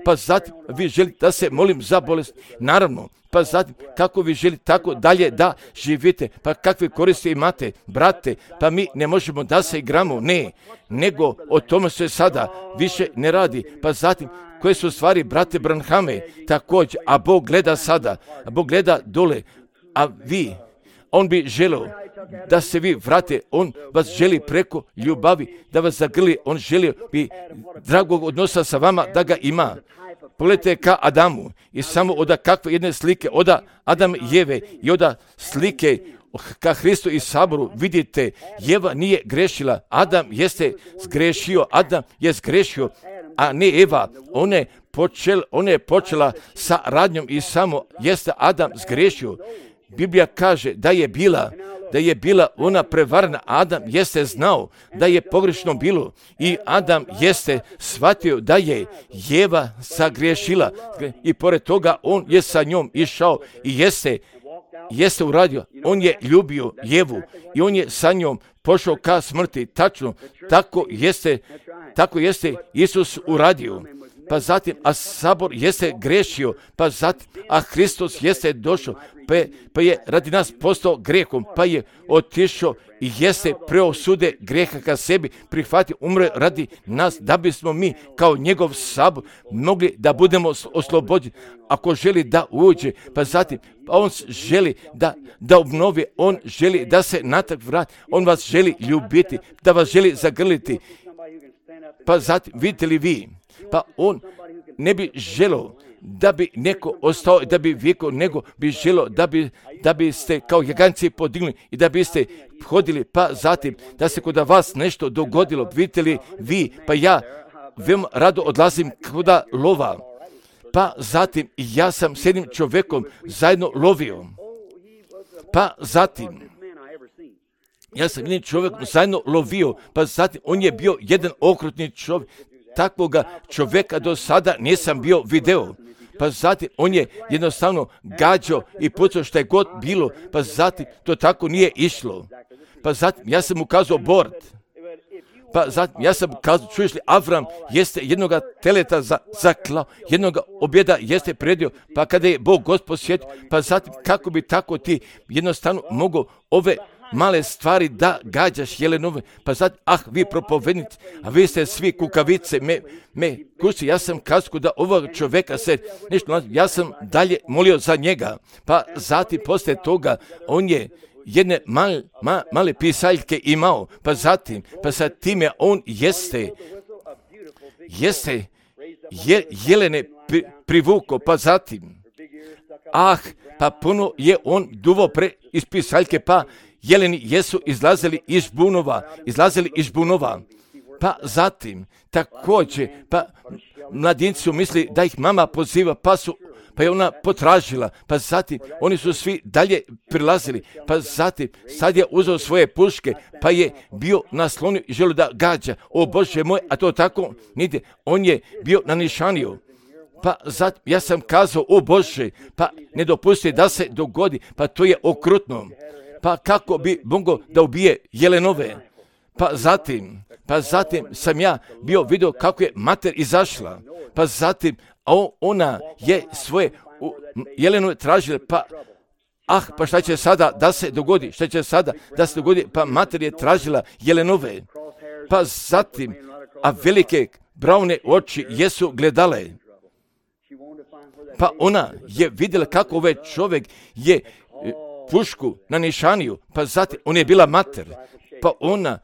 Pa zatim, vi želite da se molim za bolest, naravno, pa zatim, kako vi želite tako dalje da živite, pa kakve koristi imate, brate, pa mi ne možemo da se igramo, ne, nego o tome se sada više ne radi, pa zatim, koje su stvari, brate Branhame, također, a Bog gleda sada, a Bog gleda dole, a vi, on bi želio da se vi vrate, on vas želi preko ljubavi, da vas zagrli, on želi bi dragog odnosa sa vama da ga ima. Pogledajte ka Adamu i samo od kakve jedne slike, od Adam i Jeve i od slike ka Hristu i saboru, vidite, Jeva nije grešila, Adam jeste zgrešio, Adam je zgrešio, a ne Eva, ona je, počel, ona je počela sa radnjom i samo jeste Adam zgrešio. Biblija kaže da je bila, da je bila ona prevarna, Adam jeste znao da je pogrešno bilo i Adam jeste shvatio da je Jeva sagriješila i pored toga on je sa njom išao i jeste, jeste uradio, on je ljubio Jevu i on je sa njom pošao ka smrti, tačno, tako jeste, tako jeste Isus uradio. Pa zatim, a sabor jeste grešio, pa zatim, a Hristos jeste došao, pa je, pa je radi nas postao grehom, pa je otišao i jeste preosude greha ka sebi, prihvatio, umre radi nas, da bismo mi kao njegov sabor mogli da budemo oslobođeni. Ako želi da uđe, pa zatim, pa on želi da, da obnovi, on želi da se natrag vrati, on vas želi ljubiti, da vas želi zagrliti. Pa zatim, vidite li vi, pa on ne bi želio da bi neko ostao, da bi vijeko, nego bi želio da bi, da biste kao jaganci podigli i da biste hodili, pa zatim da se kod vas nešto dogodilo, vidite li vi, pa ja veoma rado odlazim kod lova, Pa zatim ja sam s jednim čovjekom zajedno lovio. Pa zatim ja sam jednim čovjekom zajedno lovio. Pa zatim on je bio jedan okrutni čovjek. Takvoga čovjeka do sada nisam bio video. Pa zatim on je jednostavno gađao i pucao što je god bilo. Pa zatim to tako nije išlo. Pa zatim ja sam mu kazao bord. Pa zatim ja sam kazao, čuješ li, Avram jeste jednoga teleta za, zaklao, jednoga objeda jeste predio, pa kada je Bog Gospod sjetio, pa zatim kako bi tako ti jednostavno mogao ove male stvari da gađaš jelenove, pa zatim, ah, vi propovednici, a vi ste svi kukavice, me, me kući, ja sam kazao da ovog čovjeka se nešto, ja sam dalje molio za njega, pa zatim poslije toga on je jedne male, ma, male pisaljke imao, pa zatim, pa sa time on jeste, jeste je, jelene pri, privuko, pa zatim, ah, pa puno je on duvo pre iz pisaljke, pa jeleni jesu izlazili iz bunova, izlazili iz bunova, pa zatim, također, pa mladinci su misli da ih mama poziva, pa su pa je ona potražila, pa zatim oni su svi dalje prilazili, pa zatim sad je uzeo svoje puške, pa je bio naslonio i želio da gađa. O Bože moj, a to tako nide, on je bio na nišaniju. Pa zatim ja sam kazao, o Bože, pa ne dopusti da se dogodi, pa to je okrutno. Pa kako bi mogao da ubije jelenove? Pa zatim, pa zatim sam ja bio vidio kako je mater izašla, pa zatim a ona je svoje jelenove tražila, pa ah, pa šta će sada da se dogodi, šta će sada da se dogodi, pa mater je tražila jelenove, pa zatim, a velike braune oči jesu gledale, pa ona je vidjela kako ovaj čovjek je pušku na nišaniju, pa zatim, ona je bila mater, pa ona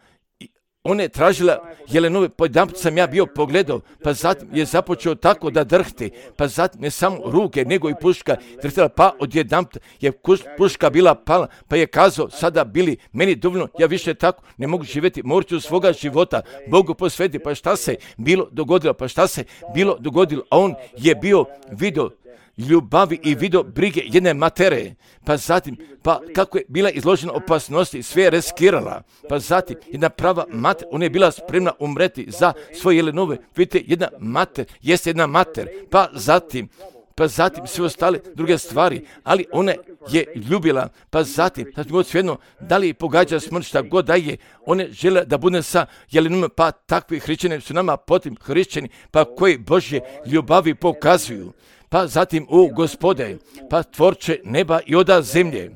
Ona je tražila jelenove, pa jedanput sam ja bio pogledao, pa zatim je započeo tako da drhti, pa zatim ne samo ruke, nego i puška drhtila, pa odjedanput je puška bila pala, pa je kazao, sada bili meni dovoljno, ja više tako ne mogu živjeti, morat ću svoga života Bogu posvetiti, pa šta se bilo dogodilo, pa šta se bilo dogodilo, a on je bio vidio ljubavi i vidio brige jedne matere, pa zatim, pa kako je bila izložena opasnosti, sve je riskirala, pa zatim jedna prava mater, ona je bila spremna umreti za svoje jelenove, vidite, jedna mater, jeste jedna mater, pa zatim, pa zatim sve ostale druge stvari, ali ona je ljubila, pa zatim, znači god svejedno, da li pogađa smrt, šta god da je, one žele da bude sa jelenome, pa takvi hrišćani su nama potim hrišćani, pa koji Božje ljubavi pokazuju. Pa zatim, o Gospode, pa tvorče neba i oda zemlje.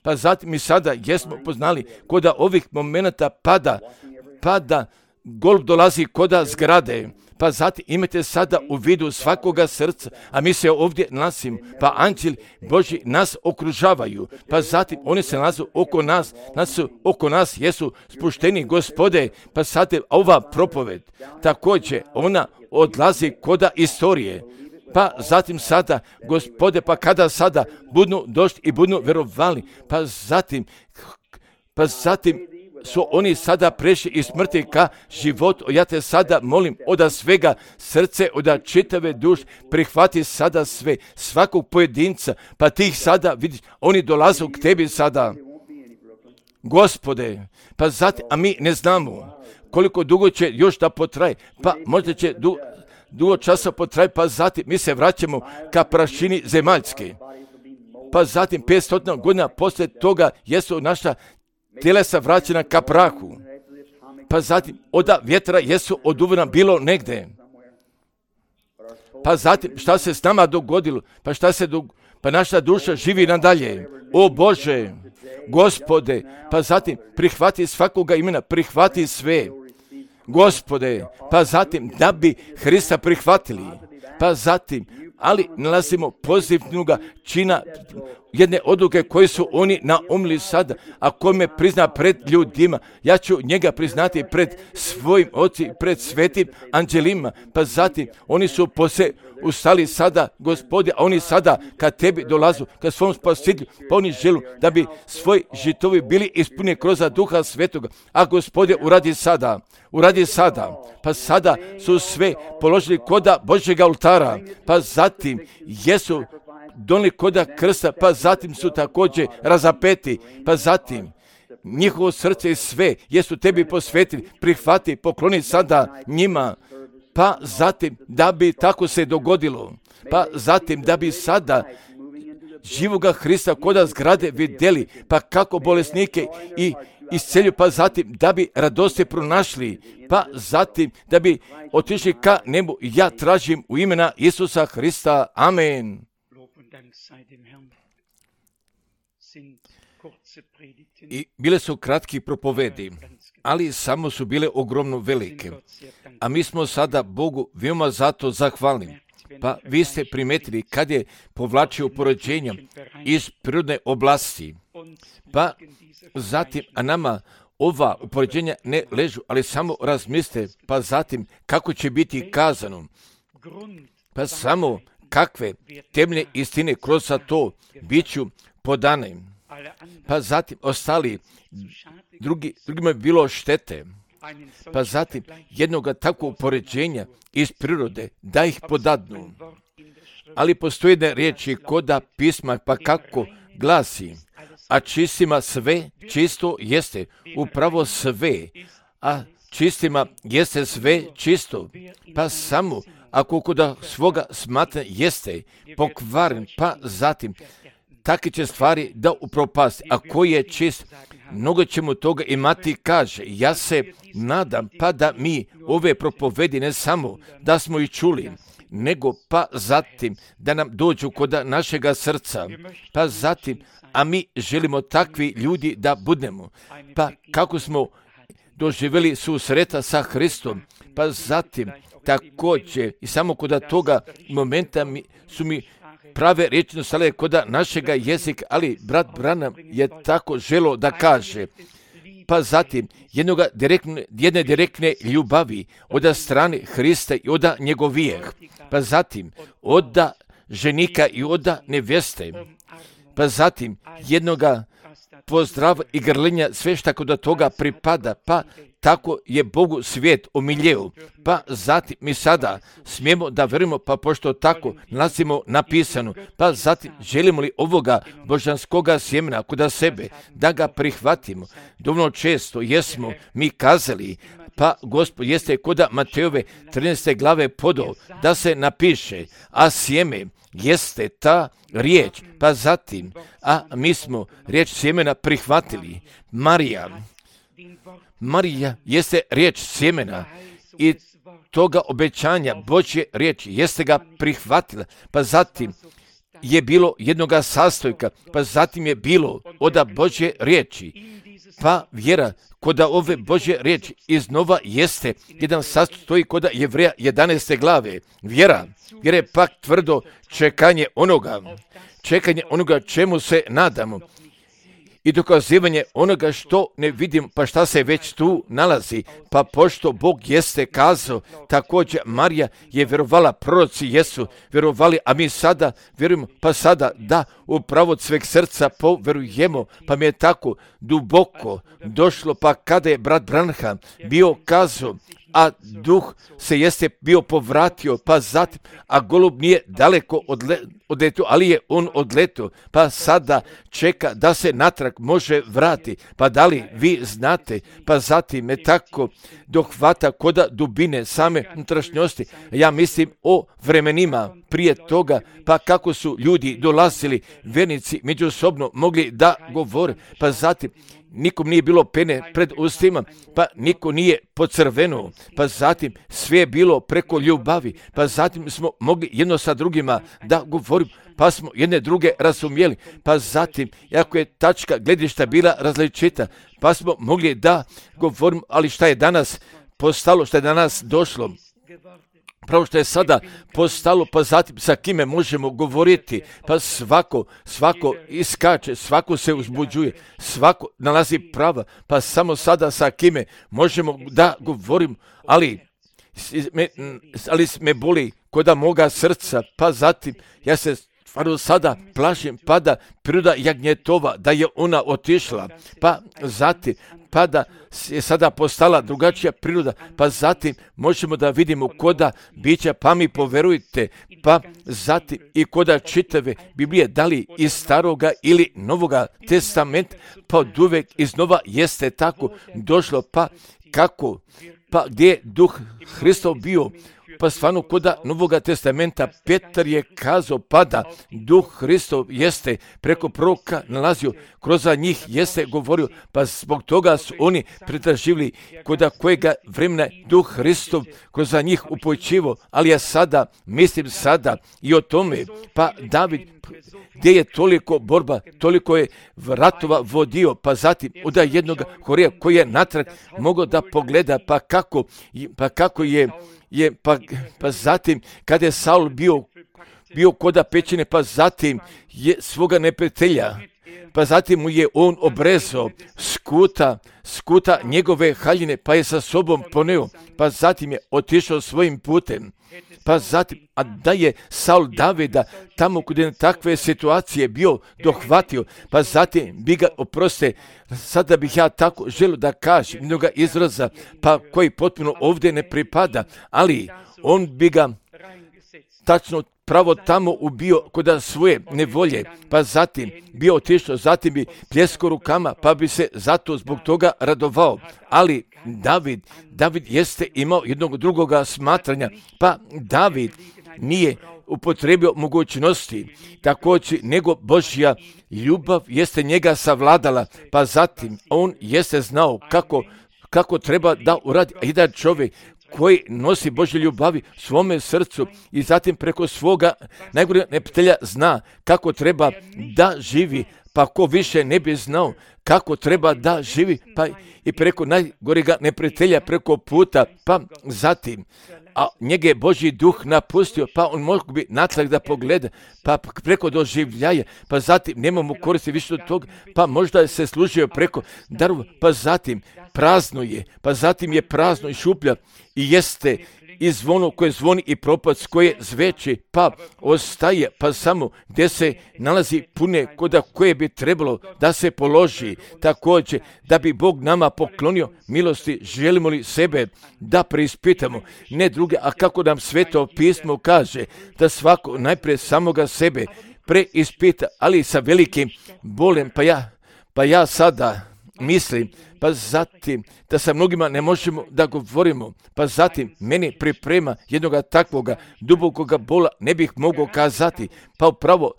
Pa zatim mi sada jesmo poznali koda ovih momenata pada, pada, golub dolazi koda zgrade. Pa zatim imate sada u vidu svakoga srca, a mi se ovdje nalazimo, pa anđeli Božji nas okružavaju, pa zatim oni se nalaze oko nas, nas su oko nas jesu spušteni Gospode, pa zatim ova propoved, također ona odlazi koda istorije. Pa zatim sada, Gospode, pa kada sada budnu došli i budnu vjerovali, pa zatim, pa zatim su oni sada prešli iz smrti ka životu. Ja te sada molim oda svega srce, oda čitave duše, prihvati sada sve, svakog pojedinca, pa ti ih sada vidiš, oni dolaze k tebi sada. Gospode, pa zatim, a mi ne znamo koliko dugo će još da potraje, pa možda će dugo, dugo časa potraje, pa zatim mi se vraćamo ka prašini zemaljske. Pa zatim petsto godina poslije toga jesu naša tjelesa vraćena ka prahu. Pa zatim oda vjetra jesu oduvena bilo negde. Pa zatim šta se s nama dogodilo? Pa šta se do... pa naša duša živi nadalje. O Bože, Gospode, pa zatim prihvati svakoga imena, prihvati sve. Gospode, pa zatim da bi Hrista prihvatili, pa zatim, ali nalazimo pozitivnoga čina jedne odluke koje su oni naumili sada, a ko me prizna pred ljudima, ja ću njega priznati pred svojim ocem, pred svetim anđelima. Pa zatim, oni su pose ustali sada, Gospode, a oni sada kad tebi dolazu, kad svom spasitelju, pa oni želu da bi svoj žitovi bili ispunjeni kroz Duha Svetoga. A Gospode, uradi sada, uradi sada. Pa sada su sve položili koda Božjega oltara, pa zatim jesu donijeli koda krsta, pa zatim su također razapeti, pa zatim njihovo srce i sve jesu tebi posvetili, prihvati, pokloni sada njima, pa zatim da bi tako se dogodilo, pa zatim da bi sada živoga Hrista koda zgrade vidjeli, pa kako bolesnike i iscelju, pa zatim da bi radosti pronašli, pa zatim da bi otišli ka nebu. Ja tražim u imena Isusa Hrista. Amen. I bile su kratki propovedi, ali samo su bile ogromno velike. A mi smo sada Bogu veoma zato zahvalni. Pa vi ste primetili kad je povlačio porođenja iz prirodne oblasti. Pa zatim, a nama ova upoređenja ne ležu, ali samo razmislite, pa zatim kako će biti kazano. Pa samo kakve temeljne istine kroz to bit ću podane. Pa zatim ostali, drugi, drugima je bilo štete. Pa zatim jednoga takvog upoređenja iz prirode da ih podadnu. Ali postoje jedne riječi koda pisma, pa kako glasi, a čistima sve čisto jeste, upravo sve, a čistima jeste sve čisto, pa samo ako koda svoga smatra jeste pokvaren, pa zatim takve će stvari da upropasti. A koji je čist, mnogo ćemo toga imati, kaže. Ja se nadam pa da mi ove propovedi ne samo da smo ih čuli, nego pa zatim da nam dođu kod našega srca, pa zatim, a mi želimo takvi ljudi da budemo, pa kako smo doživjeli susreta sa Hristom, pa zatim također i samo kod toga momenta mi, su mi prave riječi stale kod našega jezika, ali brat Branham je tako želo da kaže, pa zatim jednoga direktne, jedne direktne ljubavi od strane Hrista i od njegovijeh, pa zatim od ženika i od nevjeste, pa zatim jednoga pozdrava i grlenja, sve što kod toga pripada, pa tako je Bogu svijet omiljeo. Pa zatim mi sada smijemo da verujemo, pa pošto tako nalazimo napisano, pa zatim želimo li ovoga božanskoga sjemena kod sebe, da ga prihvatimo. Dovoljno često jesmo mi kazali, pa Gospod jeste kod Matejove trinaeste glave podao, da se napiše, a sjeme jeste ta riječ, pa zatim, a mi smo riječ sjemena prihvatili. Marija, Marija jeste riječ sjemena i toga obećanja Božje riječi jeste ga prihvatila, pa zatim je bilo jednoga sastojka, pa zatim je bilo od Božje riječi, pa vjera kod ove Božje riječi iznova jeste jedan sastoj kod Jevreja jedanaeste glave. Vjera, vjera je pak tvrdo čekanje onoga, čekanje onoga čemu se nadamo i dokazivanje onoga što ne vidimo, pa šta se već tu nalazi. Pa pošto Bog jeste kazao, također Marija je vjerovala, proroci jesu vjerovali, a mi sada vjerujemo, pa sada da upravo od sveg srca povjerujemo, pa mi je tako duboko došlo, pa kada je brat Branham bio kazao, a duh se jeste bio povratio, pa zatim, a golub nije daleko odle, odletio, ali je on odletio, pa sada čeka da se natrag može vrati. Pa da li vi znate, pa zatim me tako dohvata koda dubine same unutrašnjosti. Ja mislim o vremenima prije toga, pa kako su ljudi dolazili, vernici međusobno mogli da govore, pa zatim nikom nije bilo pene pred ustima, pa niko nije pocrvenuo, pa zatim sve je bilo preko ljubavi, pa zatim smo mogli jedno sa drugima da govorimo, pa smo jedne druge razumjeli, pa zatim, ako je tačka gledišta bila različita, pa smo mogli da govorimo, ali šta je danas postalo, šta je danas došlo, pravo što je sada postalo, pa zatim sa kime možemo govoriti, pa svako, svako iskače, svako se uzbuđuje, svako nalazi prava, pa samo sada sa kime možemo da govorim, ali me, ali me boli koda moga srca, pa zatim ja se stvarno sada plašim, pa da priroda jagnjetova, da je ona otišla, pa zatim, pa da je sada postala drugačija priroda, pa zatim možemo da vidimo koda bića, pa mi poverujte, pa zatim i koda čitave Biblije, da li iz staroga ili novoga testamenta, pa od uvek iznova jeste tako došlo, pa kako, pa gdje je duh Hristov bio, pa stvarno koda Novoga testamenta Petar je kazao, pa da duh Hristov jeste preko proroka nalazio, kroz njih jeste govorio, pa zbog toga su oni pretraživali koda kojega vremena duh Hristov kroz njih upojčivo, ali ja sada, mislim sada i o tome, pa David, gdje je toliko borba, toliko je ratova vodio, pa zatim od jednog Horija koji je natrag mogao da pogleda, pa kako, pa kako je je, pa, pa zatim kada je Saul bio, bio koda pećine, pa zatim je svoga neprijatelja, pa zatim mu je on obrezao skuta, skuta njegove haljine, pa je sa sobom poneo, pa zatim je otišao svojim putem. Pa zatim, a da je Saul Davida tamo kod je takve situacije bio dohvatio, pa zatim bi ga, oproste, sada bih ja tako želio da kažem mnoga izraza, pa koji potpuno ovdje ne pripada, ali on bi ga tačno pravo tamo ubio kod svoje nevolje, pa zatim bio otišao, zatim bi pljeskao rukama, pa bi se zato zbog toga radovao. Ali David, David jeste imao jednog drugoga smatranja, pa David nije upotrebio mogućnosti, također nego Božja ljubav jeste njega savladala, pa zatim on jeste znao kako, kako treba da uradi. Jedan čovjek koji nosi Božje ljubavi svome srcu i zatim preko svoga najgorega neprijatelja zna kako treba da živi, pa ko više ne bi znao kako treba da živi, pa i preko najgorega neprijatelja, preko puta, pa zatim, a njega je Božji duh napustio, pa on mogu bi natrag da pogleda, pa preko doživljaja, pa zatim nemamo koristi više od toga, pa možda se služio preko darova, pa zatim prazno je, pa zatim je prazno i šuplja i jeste i zvono koje zvoni i propac koje zveči, pa ostaje, pa samo gdje se nalazi pune koda koje bi trebalo da se položi, također da bi Bog nama poklonio milosti, želimo li sebe da preispitamo, ne druge, a kako nam Sveto pismo kaže, da svako najprije samoga sebe preispita, ali sa velikim bolem, pa ja, pa ja sada mislim, pa zatim da sa mnogima ne možemo da govorimo, pa zatim meni priprema jednoga takvoga dubokoga bola ne bih mogao kazati, pa upravo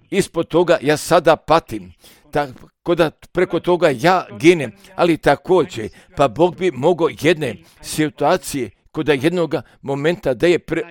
ispod toga ja sada patim, tako da preko toga ja ginem, ali također, pa Bog bi mogao jedne situacije kod jednoga momenta da je pre,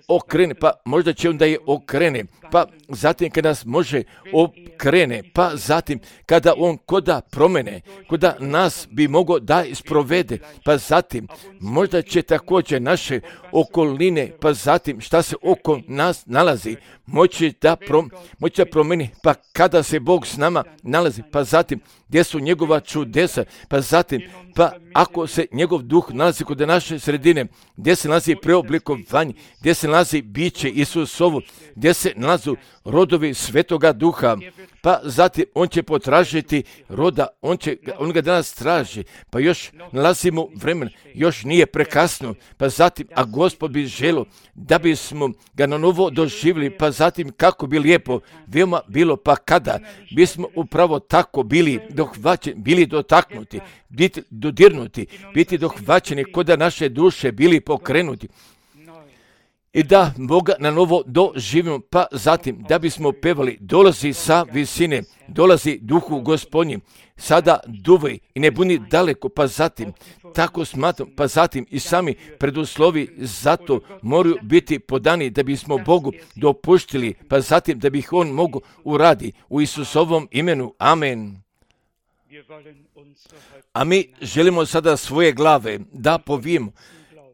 okrene, pa možda će on da je okrene, pa zatim kada nas može okrene, pa zatim kada on koda promene, koda nas bi mogao da isprovede, pa zatim možda će također naše okoline, pa zatim šta se oko nas nalazi, moći da, prom, moći da promeni, pa kada se Bog s nama nalazi, pa zatim gdje su njegova čudesa, pa zatim, pa ako se njegov duh nalazi kod naše sredine, gdje se nalazi preoblikovanje, gdje se nalazi biće Isusovo, gdje se nalazu rodovi Svetoga Duha, pa zatim on će potražiti roda, on, će, on ga danas traži, pa još nalazimo vremen, još nije prekasno, pa zatim, a Gospod bi želio da bismo ga na novo doživjeli, pa zatim kako bi lijepo veoma bilo, pa kada bismo upravo tako bili dohvaćeni, bili dotaknuti, biti dodirnuti, biti dohvaćeni kod da naše duše bili pokrenuti. I da Boga na novo doživimo, pa zatim da bismo pevali, dolazi sa visine, dolazi Duhu Gospodnji, sada duvaj i ne buni daleko, pa zatim, tako smatram, pa zatim i sami preduslovi zato moraju biti podani da bismo Bogu dopuštili, pa zatim da bih On mogu uradi u Isusovom imenu. Amen. A mi želimo sada svoje glave da povijemo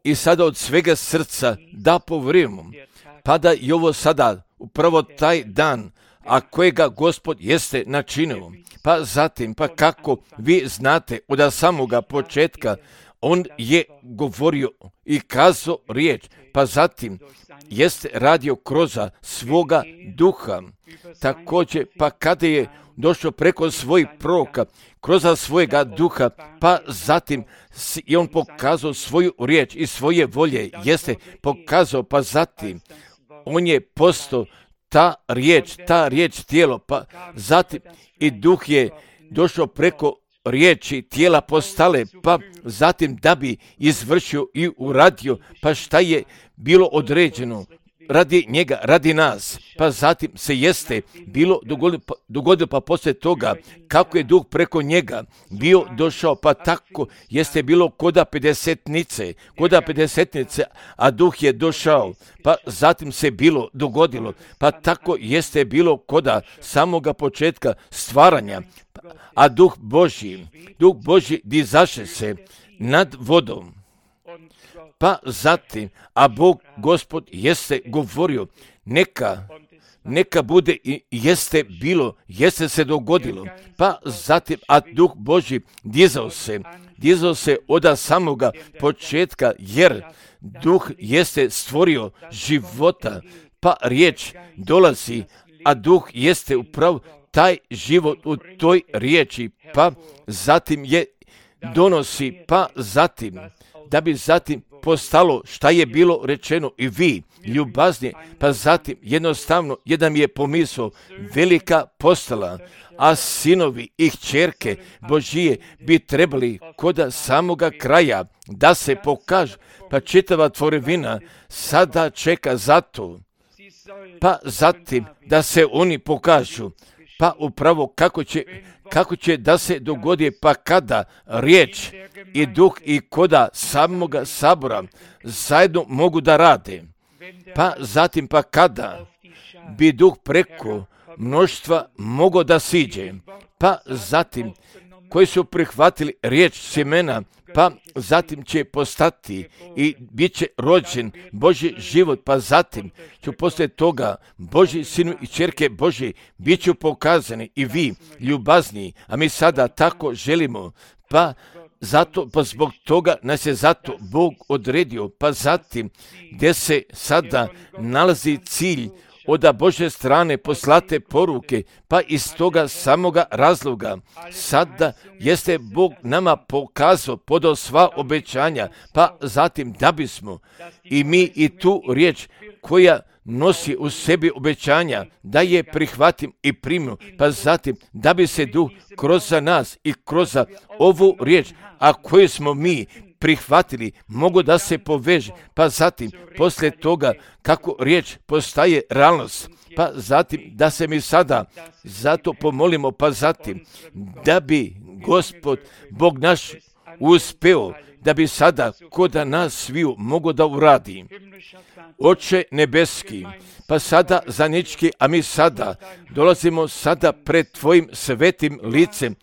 i sada od svega srca da povjerujemo, pa da i ovo sada, upravo taj dan, a kojega Gospod jeste načinio, pa zatim, pa kako vi znate od samoga početka, on je govorio i kazao riječ, pa zatim jeste radio kroz svoga duha. Također, pa kada je došao preko svojih proroka, kroz svojega duha, pa zatim je on pokazao svoju riječ i svoje volje, jeste pokazao, pa zatim on je postao ta riječ, ta riječ tijelo, pa zatim i duh je došao preko riječi tijela postale, pa zatim da bi izvršio i uradio, pa šta je bilo određeno radi njega, radi nas, pa zatim se jeste bilo dogodilo, pa, dogodilo, pa poslije toga, kako je duh preko njega bio došao, pa tako jeste bilo koda pedesetnice, koda pedesetnice, a duh je došao, pa zatim se bilo dogodilo, pa tako jeste bilo koda samoga početka stvaranja, a duh Božji, duh Božji dizaše se nad vodom. Pa zatim, a Bog Gospod jeste govorio, neka, neka bude i jeste bilo, jeste se dogodilo. Pa zatim, a duh Božji dizao se, dizao se od samoga početka, jer duh jeste stvorio života, pa riječ dolazi, a duh jeste upravo taj život u toj riječi, pa zatim je donosi, pa zatim, da bi zatim postalo šta je bilo rečeno i vi, ljubazni, pa zatim jednostavno jedan je pomisao, velika postala, a sinovi i kćerke Božije bi trebali kod samoga kraja da se pokažu, pa čitava tvorevina sada čeka za to, pa zatim da se oni pokažu, pa upravo kako će, kako će da se dogodi, pa kada riječ i duh i koda samoga sabora zajedno mogu da rade, pa zatim pa kada bi duh preko mnoštva mogao da siđe, pa zatim koji su prihvatili riječ sjemena, pa zatim će postati i bit će rođen Božji život, pa zatim ću poslije toga Božji sinu i ćerke Božji bit ću pokazani i vi ljubazni, a mi sada tako želimo, pa zato, pa zbog toga nas je zato Bog odredio, pa zatim gdje se sada nalazi cilj od Božje strane poslate poruke, pa iz toga samoga razloga sada jeste Bog nama pokazao, podao sva obećanja, pa zatim da bismo i mi i tu riječ koja nosi u sebi obećanja, da je prihvatim i primim, pa zatim da bi se duh kroz nas i kroz ovu riječ, a koju smo mi prihvatili, mogu da se poveže, pa zatim poslije toga kako riječ postaje realnost, pa zatim da se mi sada zato pomolimo, pa zatim da bi Gospod Bog naš uspeo, da bi sada kod nas sviju mogo da uradi. Oče nebeski, pa sada zanički, a mi sada dolazimo sada pred tvojim svetim licem,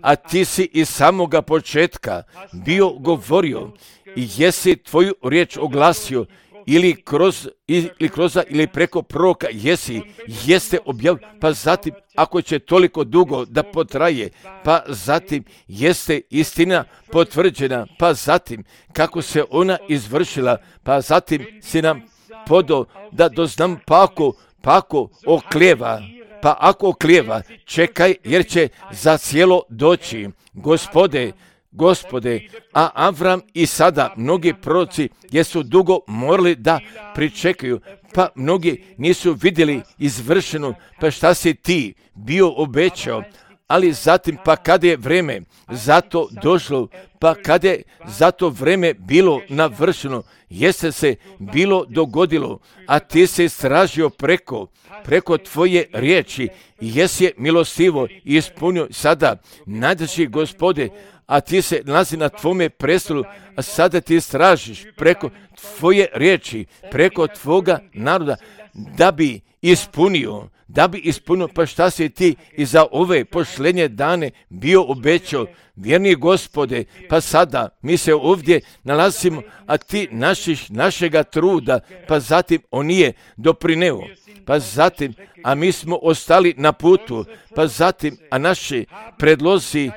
a ti si iz samoga početka bio govorio i jesi tvoju riječ oglasio ili kroz, ili kroz ili preko proroka jesi, jeste objavio, pa zatim ako će toliko dugo da potraje, pa zatim jeste istina potvrđena, pa zatim kako se ona izvršila, pa zatim si nam podao da doznam pako, pako oklijeva. Pa ako oklijeva, čekaj, jer će za cijelo doći. Gospode, Gospode, a Avram i sada mnogi proroci jesu dugo morali da pričekaju, pa mnogi nisu vidjeli izvršeno, pa šta si ti bio obećao, ali zatim pa kada je vreme zato došlo, pa kada je zato vreme bilo navršeno, jeste se bilo dogodilo, a ti se istražio preko, preko tvoje riječi i jesi je milostivo i ispunio sada, najdraži Gospode, a ti se nalazi na tvome prestolu, a sada ti istražiš preko tvoje riječi, preko tvoga naroda, da bi ispunio, da bi ispunio, pa šta si ti i za ove pošlenje dane bio obećao, vjerni Gospode, pa sada mi se ovdje nalazimo, a ti našiš, našega truda, pa zatim on nije doprineo, pa zatim, a mi smo ostali na putu, pa zatim, a naši predlozi,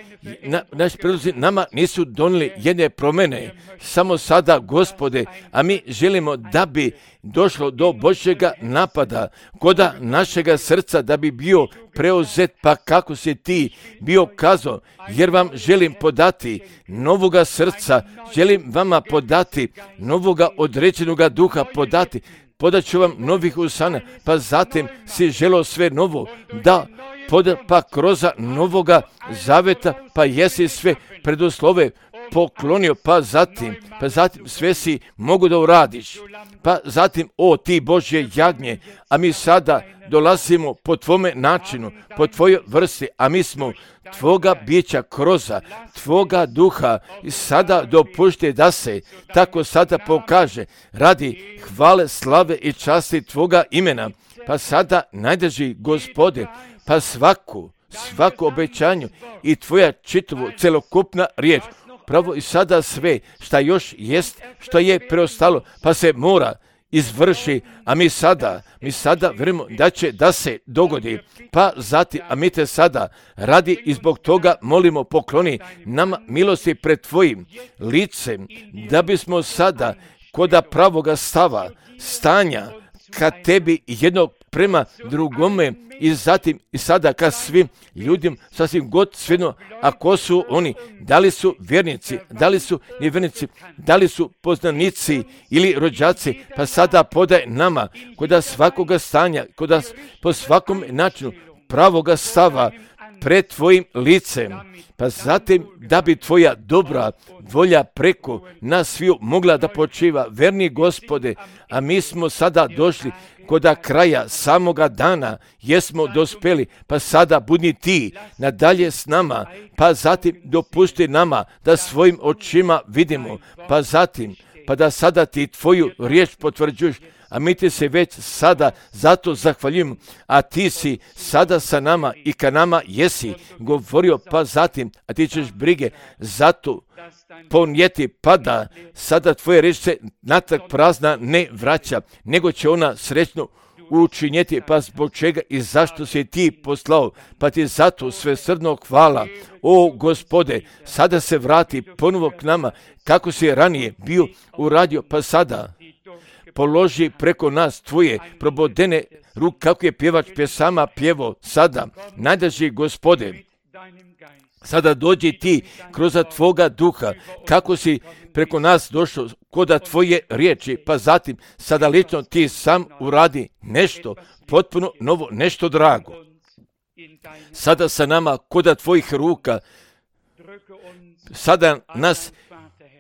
na, naši predlozi nama nisu donijeli jedne promjene, samo sada, Gospode, a mi želimo da bi došlo do Božjega napada koda našega srca, da bi bio preuzet, pa kako si ti bio kazao, jer vam želim podati novoga srca, želim vama podati novoga određenoga duha, podati, podat ću vam novih usana, pa zatim si želio sve novo, da poda, pa kroz novoga zaveta, pa jesi sve preduslove poklonio, pa zatim, pa zatim sve si mogu da uradiš, pa zatim, o ti Božje jagnje, a mi sada dolazimo po tvome načinu, po tvojoj vrsti, a mi smo tvoga bića kroza, tvoga duha i sada dopušte da se tako sada pokaže radi hvale, slave i časti tvoga imena, pa sada najdrži Gospode, pa svaku, svaku obećanju i tvoja čitavu celokupna riječ, pravo i sada sve šta još jest, što je preostalo, pa se mora izvrši, a mi sada, mi sada vjerujemo da će da se dogodi, pa zatim, a mi te sada radi i zbog toga molimo, pokloni nama milosti pred tvojim licem, da bismo sada koda pravoga stava, stanja, ka tebi jednog prema drugome i zatim i sada ka svim ljudima, sasvim god svejedno, ako su oni, da li su vjernici, da li su nevjernici, da li su poznanici ili rođaci, pa sada podaj nama koda svakoga stanja, koda po svakom načinu pravoga stava pred tvojim licem, pa zatim da bi tvoja dobra volja preko nas sviju mogla da počiva, verni Gospode, a mi smo sada došli koda kraja samoga dana, jesmo dospeli, pa sada budi ti nadalje s nama, pa zatim dopusti nama da svojim očima vidimo, pa zatim, pa da sada ti tvoju riječ potvrđuješ, a mi ti se već sada zato zahvaljujemo, a ti si sada sa nama i ka nama jesi govorio, pa zatim, a ti ćeš brige zato ponijeti, pa da sada tvoje riječ se natrag prazna ne vraća, nego će ona srećno učinjeti, pa zbog čega i zašto si ti poslao, pa ti zato svesrdno hvala. O Gospode, sada se vrati ponovo k nama, kako si ranije bio uradio, pa sada položi preko nas tvoje probodene ruke, kako je pjevač pjesama pjevo sada. Najdrži Gospode, sada dođi ti kroz tvoga duha, kako si preko nas došao koda tvoje riječi, pa zatim sada lično ti sam uradi nešto potpuno novo, nešto drago. Sada sa nama koda tvojih ruka, sada nas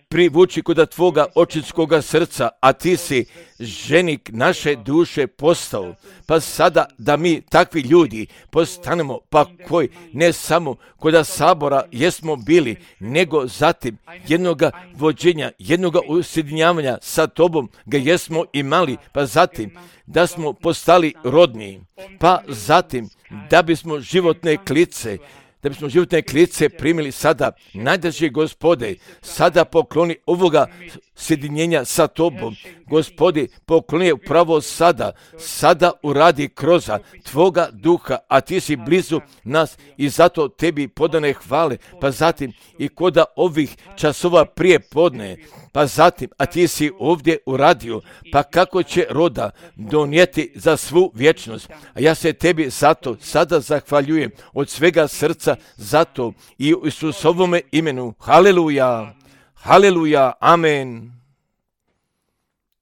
privuči koda tvoga očinskoga srca, a ti si ženik naše duše postao, pa sada da mi takvi ljudi postanemo, pa koji ne samo koda sabora jesmo bili, nego zatim jednoga vođenja, jednoga usjedinjavanja sa tobom ga jesmo imali, pa zatim da smo postali rodni, pa zatim da bismo životne klice da bismo životne klice primili sada, najdrži Gospode, sada pokloni ovoga sjedinjenja sa tobom. Gospodi, pokloni upravo sada, sada uradi kroz tvoga duha, a ti si blizu nas i zato tebi podane hvale, pa zatim i koda ovih časova prije podne, pa zatim, a ti si ovdje uradio, pa kako će roda donijeti za svu vječnost. A ja se tebi zato sada zahvaljujem od svega srca zato i u Isusovome imenu. Haleluja, haleluja, amen.